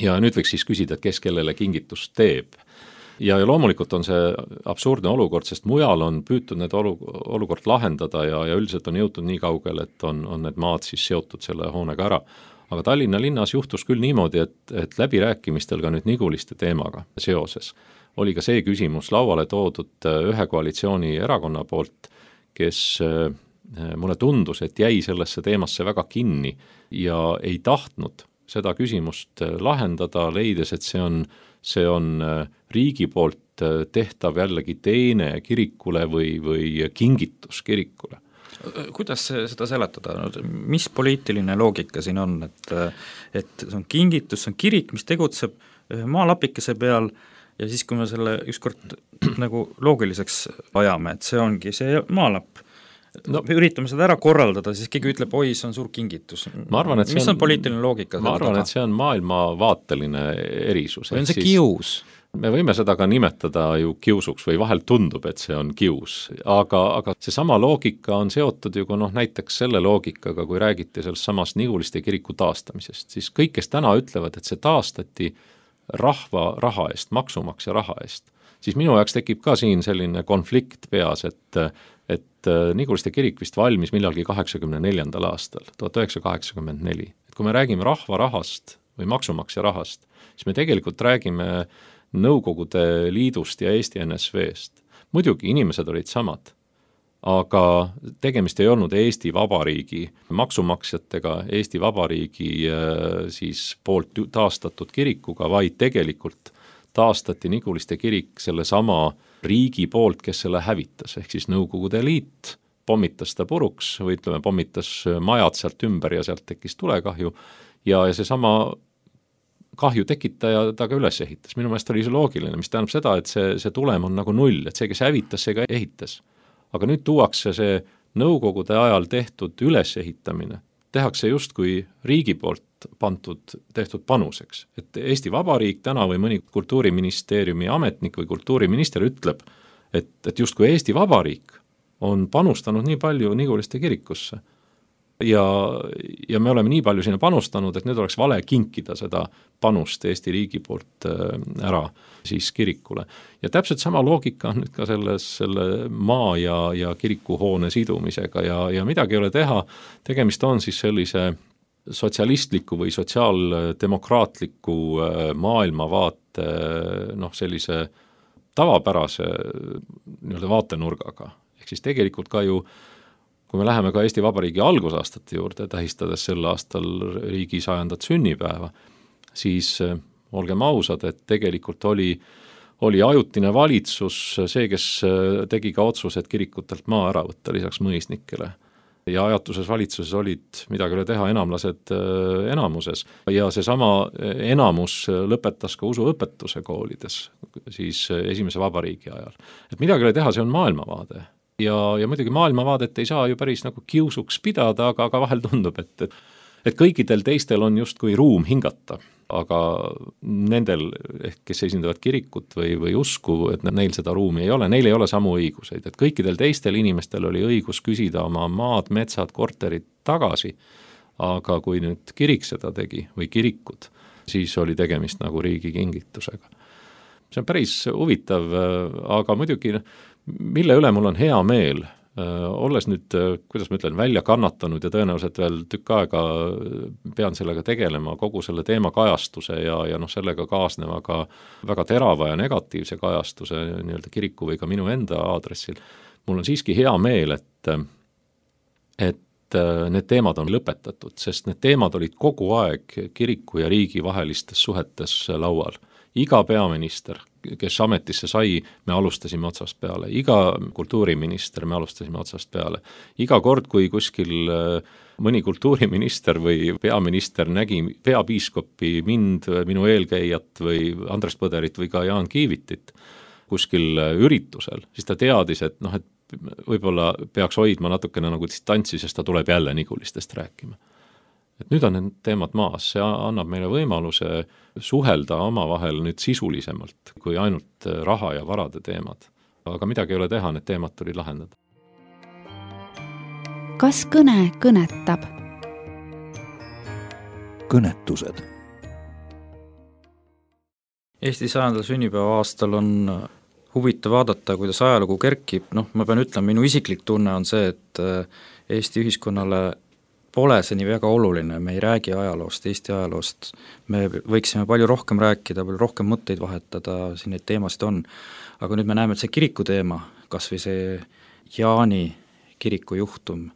ja nüüd võiks siis küsida, et kes kellele kingitust teeb. Ja, ja loomulikult on see absurdne olukord, sest mujal on püütud need olu, olukord lahendada ja, ja üldiselt on jõutud nii kaugele, et on, on need maad siis seotud selle hoonega ära. Aga Tallinna linnas juhtus küll niimoodi, et, et läbirääkimistel ka nüüd Niguliste teemaga seoses oli ka see küsimus lauale toodud ühe koalitsiooni erakonna poolt, kes mulle tundus, et jäi sellesse teemasse väga kinni ja ei tahtnud seda küsimust lahendada, leides, et see on, see on riigi poolt tehtav jällegi teene kirikule või, või kingitus kirikule. Kuidas seda seletada? Mis poliitiline loogika siin on, et, et see on kingitus, see on kirik, mis tegutseb maalapikese peal ja siis, kui me selle ükskord nagu loogiliseks ajame, et see ongi see maalapp, no, üritame seda ära korraldada, siis keegi ütleb, oi, see on suur kingitus. Ma arvan, et mis on, on poliitiline loogika? Ma arvan, et see on maailmavaateline erisus. Või on see kius? Me võime seda ka nimetada ju kiusuks või vahel tundub, et see on kius, aga, aga see sama loogika on seotud ju noh, näiteks selle loogikaga, kui räägiti sellest samast Niguliste kiriku taastamisest, siis kõik, kes täna ütlevad, et see taastati rahva raha eest, maksumaksja raha eest, siis minu jaoks tekib ka siin selline konflikt peas, et, et Niguliste kirik vist valmis millalgi kaheksakümne neljandal aastal, tuhat üheksasada kaheksakümmend neli. Et kui me räägime rahva rahast või maksumaksja rahast, siis me tegelikult räägime Nõukogude Liidust ja Eesti N S V-st. Muidugi inimesed olid samad, aga tegemist ei olnud Eesti Vabariigi maksumaksjatega, Eesti Vabariigi siis poolt taastatud kirikuga, vaid tegelikult taastati Niguliste kirik selle sama riigi poolt, kes selle hävitas, ehk siis Nõukogude Liit pommitas ta puruks või ütleme, pommitas majad sealt ümber ja sealt tekkis tulekahju ja, ja see sama kahju tekitaja ta ka üles ehitas. Minu meelest oli see loogiline, mis tähendab seda, et see, see tulem on nagu null, et see, kes hävitas, see ka ehitas. Aga nüüd tuuakse see Nõukogude ajal tehtud ülesehitamine, tehakse justkui riigi poolt pantud, tehtud panuseks. Et Eesti Vabariik täna või mõni kultuuriministeeriumi ametnik või kultuuriminister ütleb, et, et justkui Eesti Vabariik on panustanud nii palju Niguliste kirikusse. Ja, ja me oleme nii palju sinna panustanud, et nüüd oleks vale kinkida seda panust Eesti riigi poolt ära siis kirikule. Ja täpselt sama loogika on nüüd ka selles, selle maa ja, ja kirikuhoone sidumisega ja, ja midagi ei ole teha. Tegemist on siis sellise sotsialistliku või sotsiaaldemokraatliku maailmavaate noh, sellise tavapärase nii-öelda vaatenurgaga. Ehk siis tegelikult ka ju kui me läheme ka Eesti Vabariigi algusaastate juurde, tähistades sel aastal riigi sajandat sünnipäeva, siis olgem ausad, et tegelikult oli, oli ajutine valitsus see, kes tegi ka otsused kirikutelt maa ära võtta lisaks mõisnikele. Ja ajatuses valitsuses olid midagi üle teha enamlased enamuses ja seesama enamus lõpetas ka usuõpetuse koolides siis esimese vabariigi ajal. Et midagi üle teha, see on maailmavaade. Ja, ja muidugi maailmavaadet ei saa ju päris nagu kiusuks pidada, aga, aga vahel tundub, et, et kõikidel teistel on justkui ruum hingata, aga nendel, kes esindavad kirikut või, või usku, et neil seda ruumi ei ole, neil ei ole samu õiguseid, et kõikidel teistel inimestel oli õigus küsida oma maad, metsad, korterid tagasi, aga kui nüüd kirik seda tegi või kirikud, siis oli tegemist nagu riigi kingitusega. See on päris huvitav, aga muidugi mille üle mul on hea meel, olles nüüd, kuidas ma ütlen, välja kannatanud ja tõenäoliselt veel tükk aega pean sellega tegelema, kogu selle teema kajastuse ja, ja noh, sellega kaasneva ka väga terava ja negatiivse kajastuse nii-öelda kiriku või ka minu enda aadressil. Mul on siiski hea meel, et, et need teemad on lõpetatud, sest need teemad olid kogu aeg kiriku ja riigi vahelistes suhetes laual. Iga peaminister, kes ametisse sai, me alustasime otsast peale. Iga kultuuriminister me alustasime otsast peale. Iga kord, kui kuskil mõni kultuuriminister või peaminister nägi peapiiskopi, mind, minu eelkäijat või Andres Põderit või ka Jaan Kiivitit kuskil üritusel, siis ta teadis, et noh, et võib-olla peaks hoidma natukene nagu distantsi, sest ta tuleb jälle Nigulistest rääkima. Et nüüd on need teemad maas, see annab meile võimaluse suhelda omavahel nüüd sisulisemalt kui ainult raha ja varade teemad. Aga midagi ei ole teha, need teemad tuli lahendada. Kas kõne kõnetab? Kõnetused. Eesti sajandal sünnipäeva aastal on huvitav vaadata, kuidas ajalugu kerkib. Noh, ma pean ütlema, minu isiklik tunne on see, et Eesti ühiskonnale pole see nii väga oluline, me ei räägi ajaloost, Eesti ajaloost, me võiksime palju rohkem rääkida, palju rohkem mõtteid vahetada, siin neid teemasid on, aga nüüd me näeme, et see kiriku teema, kas või see Jaani kiriku juhtum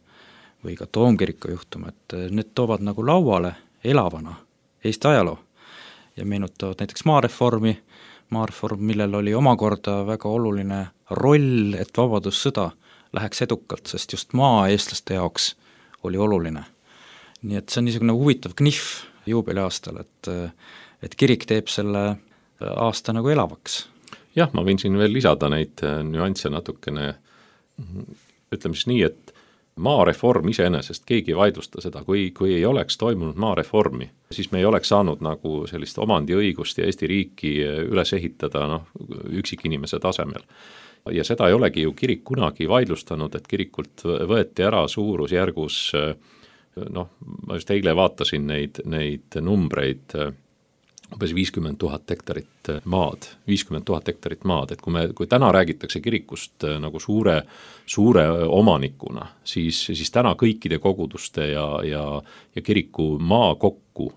või ka Toomkiriku juhtum, et need toovad nagu lauale elavana Eesti ajaloo ja meenutavad näiteks maareformi, maareform, millel oli omakorda väga oluline roll, et vabadussõda läheks edukalt, sest just maa eestlaste jaoks oli oluline. Nii et see on niisugune huvitav knihv juubeli aastal, et, et kirik teeb selle aasta nagu elavaks. Jah, ma võin siin veel lisada neid nüansse natukene, ütleme siis nii, et maareform iseenesest, keegi ei vaidlusta seda, kui, kui ei oleks toimunud maareformi, siis me ei oleks saanud nagu sellist omandiõigust ja Eesti riiki üles ehitada noh, üksikinimese tasemel. Ja seda ei olegi ju kirik kunagi vaidlustanud, et kirikult võeti ära suurusjärgus, noh, ma just eile vaatasin neid, neid numbreid, umbes viiskümmend tuhat hektarit maad, viiskümmend tuhat hektarit maad, et kui me, kui täna räägitakse kirikust nagu suure, suure omanikuna, siis, siis täna kõikide koguduste ja, ja, ja kiriku maa kokku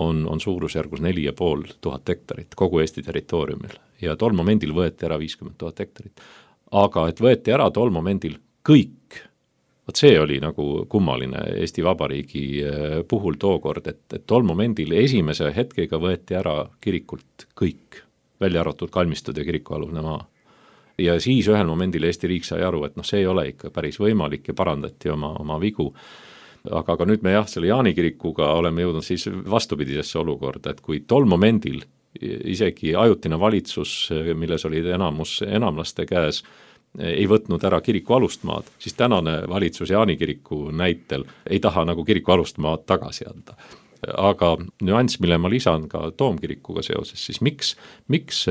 on, on suurusjärgus neli ja pool tuhat hektarit kogu Eesti territooriumil ja tol momendil võeti ära viiskümmend tuhat hektarit. Aga et võeti ära tol momendil kõik Vot see oli nagu kummaline Eesti Vabariigi puhul tookord, et, et tol momendil esimese hetkega võeti ära kirikult kõik, välja arvatud kalmistud ja kirikualune maa. Ja siis ühel momendil Eesti riik sai aru, et noh, see ei ole ikka päris võimalik ja parandati oma, oma vigu. Aga ka nüüd me jah, selle Jaani kirikuga oleme jõudnud siis vastupidisesse olukorda, et kui tol momendil isegi ajutine valitsus, milles olid enamus enamlaste käes, ei võtnud ära kiriku alust maad, siis tänane valitsus Jaani kiriku näitel ei taha nagu kiriku alust maad tagasi anda. Aga nüanss, mille ma lisan ka Toomkirikuga seoses, siis miks, miks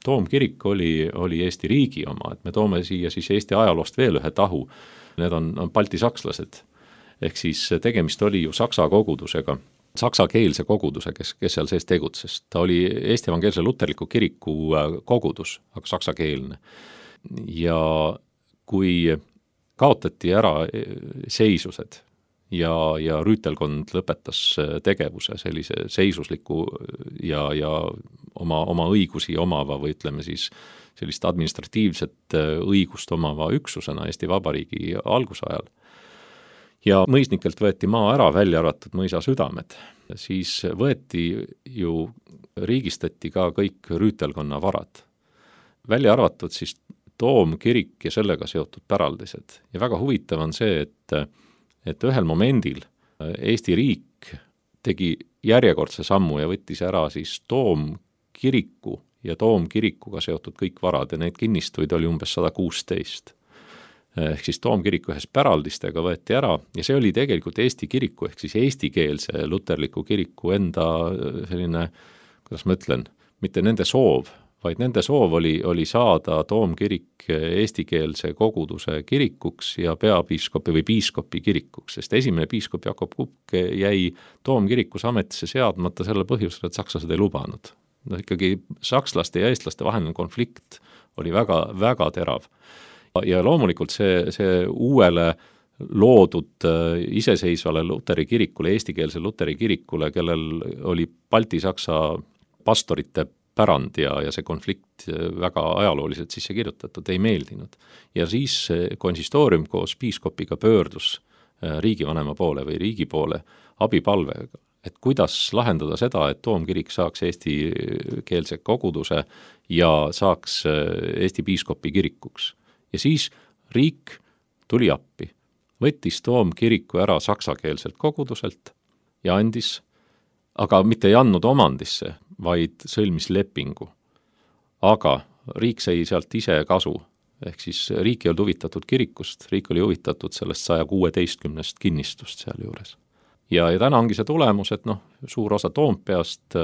Toomkirik oli, oli Eesti riigi oma, et me toome siia siis Eesti ajaloost veel ühe tahu, need on, on balti sakslased, ehk siis tegemist oli ju saksa kogudusega, saksakeelse koguduse, kes, kes seal sees tegutses. Ta oli Eesti evangeelse luterliku kiriku kogudus, aga saksakeelne. Ja kui kaotati ära seisused ja, ja rüütelkond lõpetas tegevuse sellise seisusliku ja, ja oma, oma õigusi omava või ütleme siis sellist administratiivset õigust omava üksusena Eesti Vabariigi algusajal ja mõisnikelt võeti maa ära, välja arvatud mõisa südamed, siis võeti ju, riigistati ka kõik rüütelkonna varad. Välja arvatud siis Toomkirik ja sellega seotud päraldised. Ja väga huvitav on see, et, et ühel momendil Eesti riik tegi järjekordse sammu ja võttis ära siis Toomkiriku ja Toomkirikuga seotud kõik varad ja neid kinnistuid oli umbes sada kuusteist. Ehk siis Toomkiriku ühes päraldistega võeti ära ja see oli tegelikult Eesti kiriku ehk siis eestikeelse luterliku kiriku enda selline, kuidas ma ütlen, mitte nende soov, vaid nende soov oli, oli saada Toomkirik eestikeelse koguduse kirikuks ja peapiiskopi või piiskopi kirikuks, sest esimene piiskop Jakob Kukk jäi Toomkirikus ametisse seadmata selle põhjusel, et sakslased ei lubanud. No ikkagi sakslaste ja eestlaste vaheline konflikt oli väga, väga terav. Ja loomulikult see, see uuele loodud iseseisvale luteri kirikule, eestikeelse luteri kirikule, kellel oli balti-saksa pastorite pärand ja, ja see konflikt väga ajalooliselt sisse kirjutatud, ei meeldinud. Ja siis konsistoorium koos piiskopiga pöördus riigivanema poole või riigi poole abipalvega, et kuidas lahendada seda, et Toomkirik saaks eestikeelse koguduse ja saaks Eesti piiskopi kirikuks. Ja siis riik tuli appi, võttis Toomkiriku ära saksakeelselt koguduselt ja andis, aga mitte ei andnud omandisse, vaid sõlmis lepingu. Aga riik sai sealt ise kasu, ehk siis riik ei olnud huvitatud kirikust, riik oli huvitatud sellest saja kuueteistkümnest kinnistust seal juures. Ja, ja täna ongi see tulemus, et noh, suur osa Toompeast,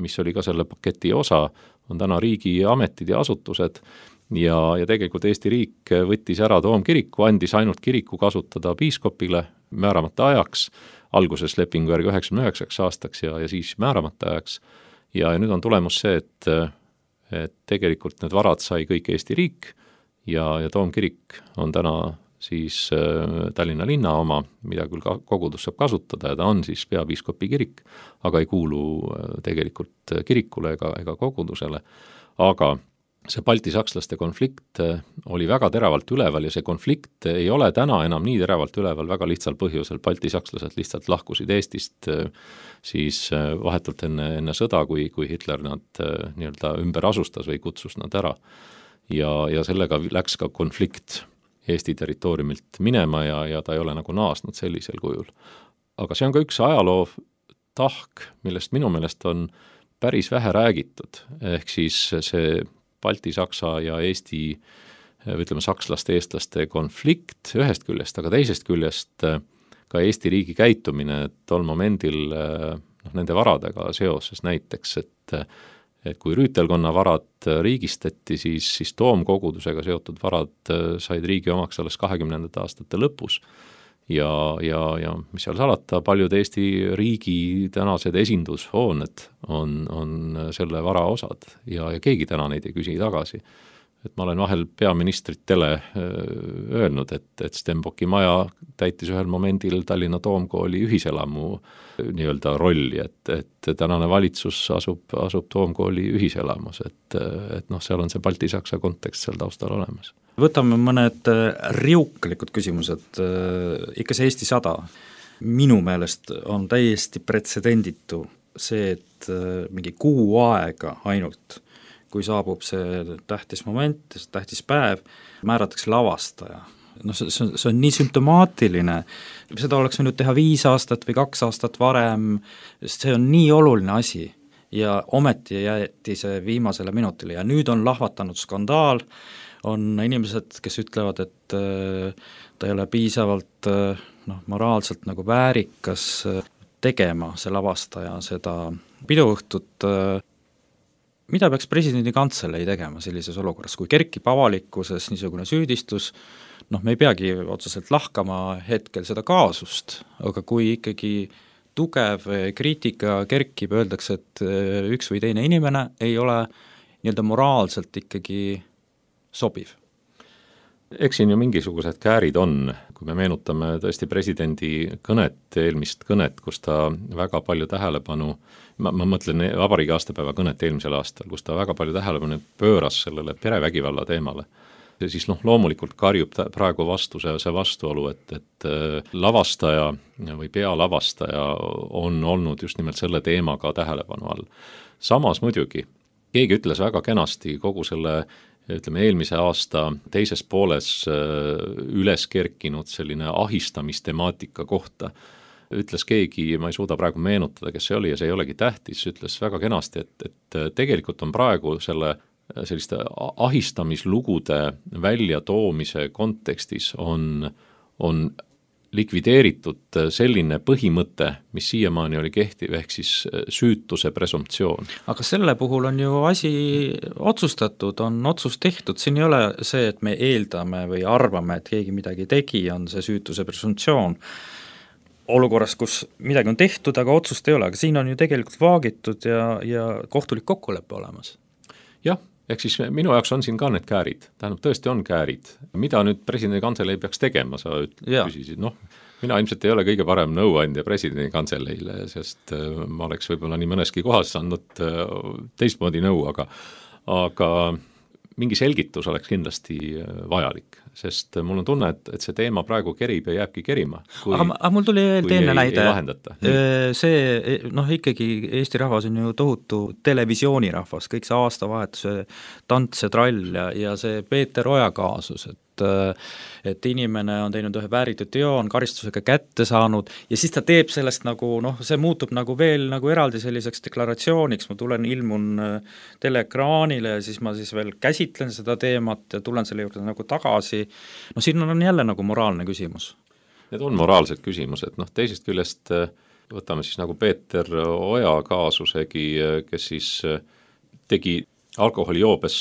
mis oli ka selle paketi osa, on täna riigi ametid ja asutused ja, ja tegelikult Eesti riik võttis ära Toomkiriku, andis ainult kiriku kasutada piiskopile määramata ajaks, alguses lepingu järgi üheksakümne üheksaks aastaks ja, ja siis määramata ajaks. Ja, ja nüüd on tulemus see, et, et tegelikult need varad sai kõik Eesti riik ja, ja Toomkirik on täna siis äh, Tallinna linna oma, mida küll ka kogudus saab kasutada ja ta on siis peapiiskopi kirik, aga ei kuulu äh, tegelikult kirikule ega, ega kogudusele. Aga see balti-sakslaste konflikt oli väga teravalt üleval ja see konflikt ei ole täna enam nii teravalt üleval väga lihtsal põhjusel. Balti-sakslased lihtsalt lahkusid Eestist siis vahetult enne, enne sõda, kui, kui Hitler nad nii-öelda ümber asustas või kutsus nad ära. Ja, ja sellega läks ka konflikt Eesti territooriumilt minema ja, ja ta ei ole nagu naasnud sellisel kujul. Aga see on ka üks ajaloo tahk, millest minu meelest on päris vähe räägitud, ehk siis see Balti-Saksa ja Eesti, ütleme sakslaste, eestlaste konflikt ühest küljest, aga teisest küljest ka Eesti riigi käitumine tol momendil noh, nende varadega seoses näiteks, et, et kui rüütelkonna varad riigistati, siis, siis Toomkogudusega seotud varad said riigi omaks alles kahekümnendate aastate lõpus. Ja, ja, ja mis seal salata, paljud Eesti riigi tänased esindushooned on, on selle vara osad ja, ja keegi täna neid ei küsi tagasi. et ma olen vahel peaministritele öelnud, et, et Stenbocki maja täitis ühel momendil Tallinna Toomkooli ühiselamu nii-öelda rolli, et, et tänane valitsus asub, asub Toomkooli ühiselamus, et, et noh, seal on see Balti-Saksa kontekst seal taustal olemas. Võtame mõned riuklikud küsimused, ikka see Eesti sada. Minu meelest on täiesti pretsedenditu see, et mingi kuu aega ainult, kui saabub see tähtis moment, see tähtis päev, määratakse lavastaja. No see, see, on, see on nii sümptomaatiline, seda oleks võinud teha viis aastat või kaks aastat varem, sest see on nii oluline asi ja ometi jäeti see viimasele minutile ja nüüd on lahvatanud skandaal, on inimesed, kes ütlevad, et ta ei ole piisavalt noh, moraalselt nagu väärikas tegema see lavastaja seda piduõhtut. Mida peaks presidendi kantselei tegema sellises olukorras, kui kerkib avalikkuses niisugune süüdistus, noh, me ei peagi otseselt lahkama hetkel seda kaasust, aga kui ikkagi tugev kriitika kerkib, öeldakse, et üks või teine inimene ei ole nii-öelda moraalselt ikkagi sobiv. Eks siin ju mingisugused käärid on, kui me meenutame tõesti presidendi kõnet, eelmist kõnet, kus ta väga palju tähelepanu, ma, ma mõtlen vabariigi aastapäeva kõnet eelmisel aastal, kus ta väga palju tähelepanu pööras sellele perevägivalla teemale. Ja siis noh, loomulikult karjub praegu vastu see, see vastuolu, et, et lavastaja või pealavastaja on olnud just nimelt selle teemaga tähelepanu all. Samas muidugi, keegi ütles väga kenasti kogu selle ütleme, eelmise aasta teises pooles üles kerkinud selline ahistamistematika kohta. Ütles keegi, ma ei suuda praegu meenutada, kes see oli ja see ei olegi tähtis, ütles väga kenasti, et, et tegelikult on praegu selle selliste ahistamislugude väljatoomise kontekstis on, on likvideeritud selline põhimõte, mis siiamaani oli kehtiv, ehk siis süütuse presumptsioon. Aga selle puhul on ju asi otsustatud, on otsus tehtud, siin ei ole see, et me eeldame või arvame, et keegi midagi tegi, on see süütuse presumptsioon. Olukorras, kus midagi on tehtud, aga otsust ei ole, aga siin on ju tegelikult vaagitud ja, ja kohtulik kokkulepe olemas. Jah, ehk siis minu jaoks on siin ka need käärid, tähendab tõesti on käärid. Mida nüüd presidendi kantselei peaks tegema, sa küsisid, noh, mina ilmselt ei ole kõige parem nõuandja presidendi kantseleile, sest ma oleks võib-olla nii mõneski kohas andnud teistmoodi nõu, aga, aga mingi selgitus oleks kindlasti vajalik, sest mul on tunne, et, et see teema praegu kerib ja jääbki kerima. Kui, aga, aga mul tuli teine näide, ei see, noh ikkagi Eesti rahvas on ju tohutu televisioonirahvas, kõik see aastavahetuse tants ja trall ja, ja see Peeter Oja kaasus, et et inimene on teinud ühe vääritud teo, on karistusega kätte saanud ja siis ta teeb sellest nagu, noh, see muutub nagu veel nagu eraldi selliseks deklaratsiooniks, ma tulen, ilmun teleekraanile ja siis ma siis veel käsitlen seda teemat ja tulen selle juurde nagu tagasi, no siin on jälle nagu moraalne küsimus. Need on moraalsed küsimused, noh teisest küljest võtame siis nagu Peeter Oja kaasusegi, kes siis tegi alkoholijoobes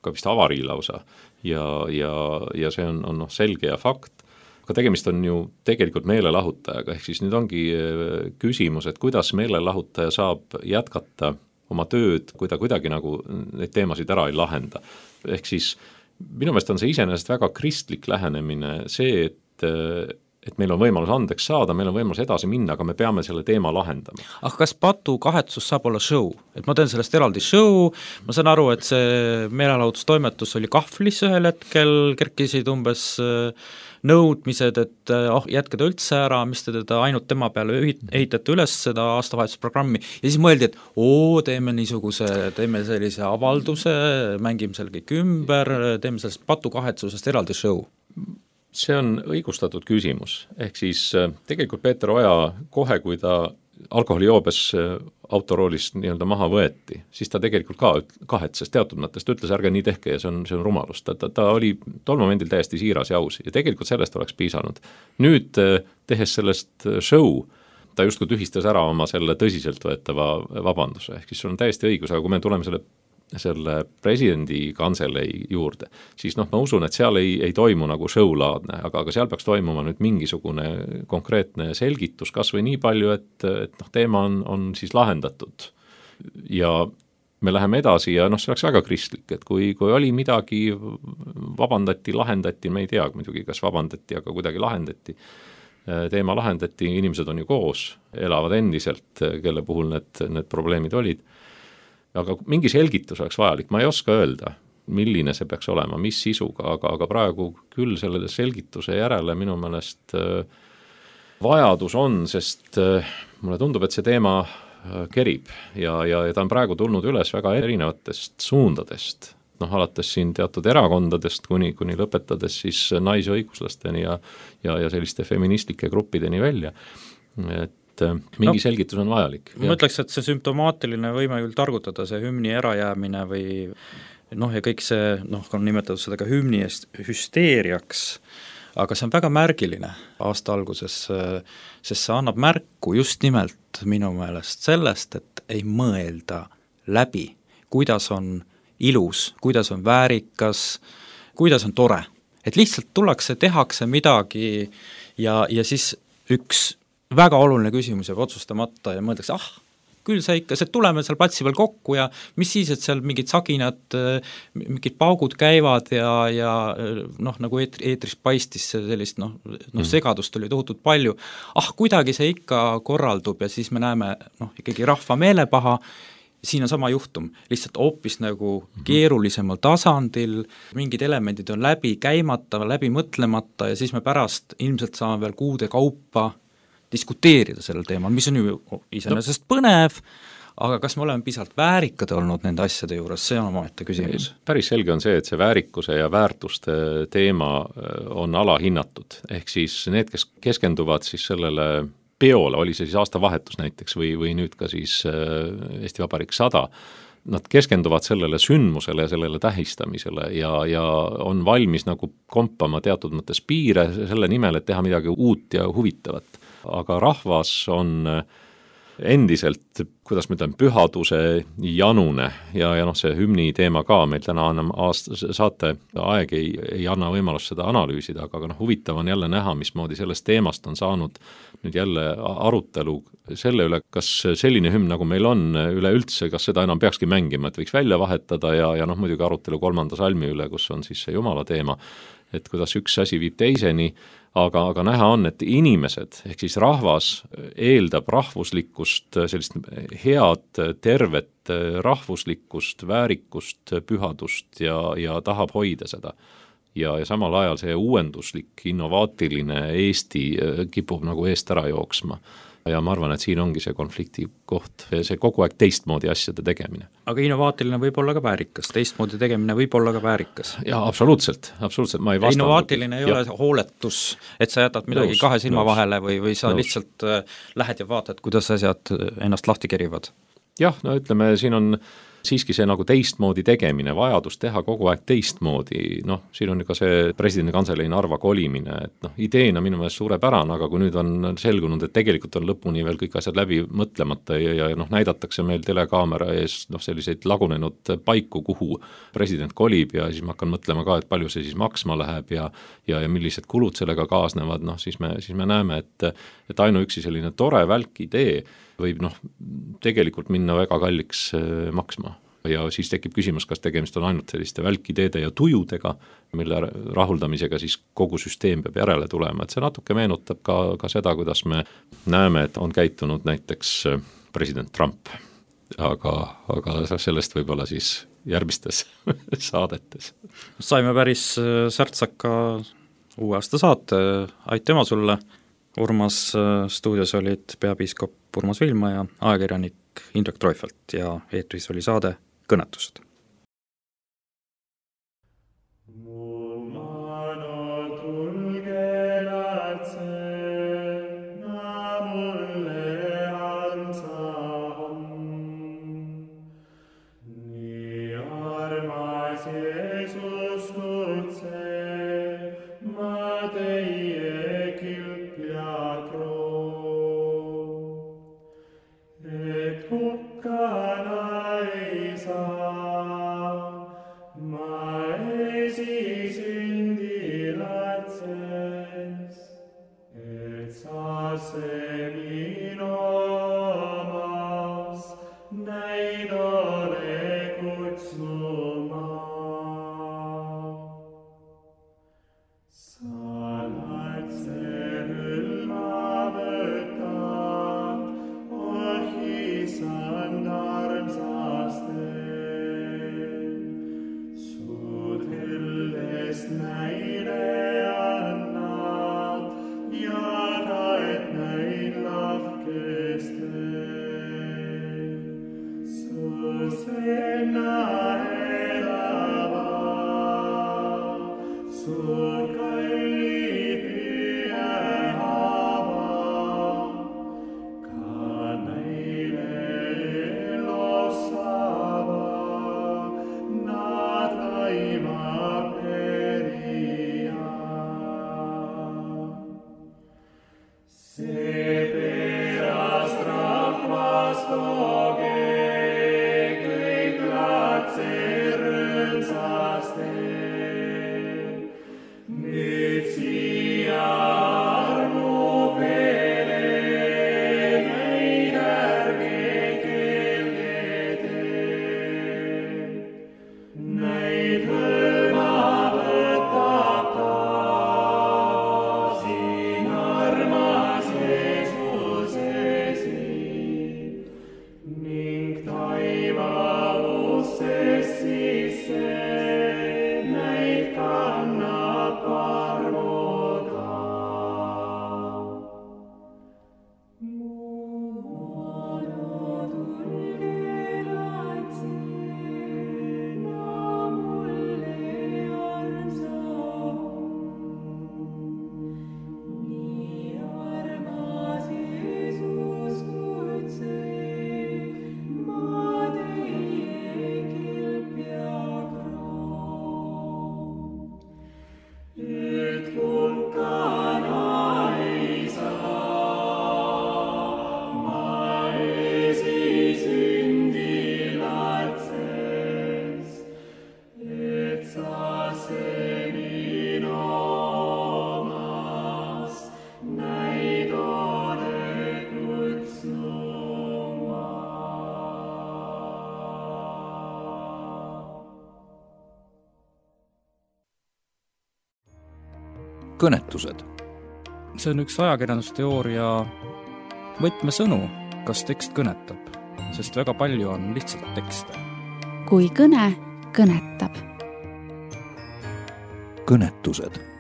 ka vist avarii lausa ja, ja, ja see on, on noh, selge ja fakt, aga tegemist on ju tegelikult meelelahutajaga, ehk siis nüüd ongi küsimus, et kuidas meelelahutaja saab jätkata oma tööd, kui ta kuidagi nagu neid teemasid ära ei lahenda. Ehk siis minu meelest on see iseenesest väga kristlik lähenemine, see, et et meil on võimalus andeks saada, meil on võimalus edasi minna, aga me peame selle teema lahendama. Aga kas patu kahetsus saab olla show? Et ma teen sellest eraldi show, ma saan aru, et see meelelahutustoimetus oli kahvlis ühel hetkel, kerkisid umbes nõudmised, et oh, jätke ta üldse ära, mis te teda ainult tema peale ehitate üles seda aastavahetusprogrammi ja siis mõeldi, et oo, teeme niisuguse, teeme sellise avalduse, mängime seal kõik ümber, teeme sellest patu kahetsusest eraldi show. See on õigustatud küsimus, ehk siis tegelikult Peeter Oja kohe, kui ta alkoholijoobes autoroolist nii-öelda maha võeti, siis ta tegelikult ka kahetses teatud mõttest, ütles ärge nii tehke ja see on, see on rumalus. Ta, ta, ta oli tol momendil täiesti siiras ja aus ja tegelikult sellest oleks piisanud. Nüüd tehes sellest show, ta justkui tühistas ära oma selle tõsiselt võetava vabanduse, ehk siis see on täiesti õigus, aga kui me tuleme selle selle presidendi kantselei juurde, siis noh, ma usun, et seal ei, ei toimu nagu show-laadne, aga, aga seal peaks toimuma nüüd mingisugune konkreetne selgitus, kas või nii palju, et, et noh, teema on, on siis lahendatud. Ja me läheme edasi ja noh, see oleks väga kristlik, et kui, kui oli midagi, vabandati, lahendati, me ei tea muidugi, kas vabandati, aga kuidagi lahendati, teema lahendati, inimesed on ju koos, elavad endiselt, kelle puhul need, need probleemid olid, aga mingi selgitus oleks vajalik, ma ei oska öelda, milline see peaks olema, mis sisuga, aga, aga praegu küll selle selgituse järele minu meelest vajadus on, sest mulle tundub, et see teema kerib ja, ja, ja ta on praegu tulnud üles väga erinevatest suundadest, noh, alates siin teatud erakondadest kuni, kuni lõpetades siis naisõiguslasteni ja, ja, ja selliste feministlike gruppideni välja, et mingi no, selgitus on vajalik. Ma ütleks, et see sümptomaatiline võime küll targutada, see hümni ärajäämine või noh, ja kõik see, noh, on nimetatud seda ka hümni eest hüsteeriaks, aga see on väga märgiline aasta alguses, sest see annab märku just nimelt minu meelest sellest, et ei mõelda läbi, kuidas on ilus, kuidas on väärikas, kuidas on tore. Et lihtsalt tullakse, tehakse midagi ja, ja siis üks väga oluline küsimus jääb otsustamata ja mõeldakse, ah, küll see ikka, see tuleme seal platsi peal kokku ja mis siis, et seal mingid saginad, mingid paugud käivad ja, ja noh, nagu eetris paistis sellist noh, noh segadust oli tohutult palju, ah, kuidagi see ikka korraldub ja siis me näeme noh, ikkagi rahva meelepaha, siin on sama juhtum, lihtsalt hoopis nagu keerulisemal tasandil, mingid elemendid on läbi käimata, läbi mõtlemata ja siis me pärast ilmselt saame veel kuude kaupa diskuteerida sellel teemal, mis on ju iseenesest no. põnev, aga kas me oleme piisavalt väärikad olnud nende asjade juures, see on omaette küsimus. Päris selge on see, et see väärikuse ja väärtuste teema on alahinnatud, ehk siis need, kes keskenduvad siis sellele peole, oli see siis aastavahetus näiteks või, või nüüd ka siis Eesti Vabariik sada, nad keskenduvad sellele sündmusele ja sellele tähistamisele ja, ja on valmis nagu kompama teatud mõttes piire selle nimel, et teha midagi uut ja huvitavat. Aga rahvas on endiselt, kuidas ma ütlen, pühaduse janune ja, ja noh, see hümni teema ka meil täna annam aast-, saate aeg ei, ei anna võimalust seda analüüsida, aga, aga noh, huvitav on jälle näha, mismoodi sellest teemast on saanud nüüd jälle arutelu selle üle, kas selline hümn, nagu meil on üleüldse, kas seda enam peakski mängima, et võiks välja vahetada ja, ja noh, muidugi arutelu kolmanda salmi üle, kus on siis see Jumala teema, et kuidas üks asi viib teiseni, aga, aga näha on, et inimesed, ehk siis rahvas eeldab rahvuslikkust, sellist head, tervet rahvuslikkust, väärikust, pühadust ja, ja tahab hoida seda. Ja, ja samal ajal see uuenduslik, innovaatiline Eesti kipub nagu eest ära jooksma. Ja ma arvan, et siin ongi see konflikti koht, see kogu aeg teistmoodi asjade tegemine. Aga innovaatiline võib olla ka väärikas, teistmoodi tegemine võib olla ka väärikas. Ja absoluutselt, absoluutselt, ma ei vastanud. Innovaatiline ei ja. ole hooletus, et sa jätad midagi nõus, kahe silma nõus, vahele või, või sa nõus. lihtsalt lähed ja vaatad, kuidas asjad ennast lahti kerivad. Jah, no ütleme, siin on siiski see nagu teistmoodi tegemine, vajadus teha kogu aeg teistmoodi, noh, siin on ka see presidendi kantselei Narva kolimine, et noh, ideena minu meelest suurepärane, aga kui nüüd on selgunud, et tegelikult on lõpuni veel kõik asjad läbi mõtlemata ja, ja noh, näidatakse meil telekaamera ees noh, selliseid lagunenud paiku, kuhu president kolib ja siis ma hakkan mõtlema ka, et palju see siis maksma läheb ja, ja, ja millised kulud sellega kaasnevad, noh, siis me, siis me näeme, et, et ainuüksi selline tore välk idee võib noh, tegelikult minna väga kalliks maksma. Ja siis tekib küsimus, kas tegemist on ainult selliste välkideede ja tujudega, mille rahuldamisega siis kogu süsteem peab järele tulema. Et see natuke meenutab ka, ka seda, kuidas me näeme, et on käitunud näiteks president Trump. Aga, aga sellest võib-olla siis järgmistes saadetes. Saime päris särtsaka uue aasta saate. Aitüma sulle. Urmas stuudios olid peapiiskop Urmas Vilma ja ajakirjanik Indrek Treufelt ja eetris oli saade Kõnetused. Hukana ei saa. kõnetused. See on üks ajakirjandusteooria võtmesõnu, kas tekst kõnetab, sest väga palju on lihtsalt tekste. Kui kõne kõnetab. Kõnetused.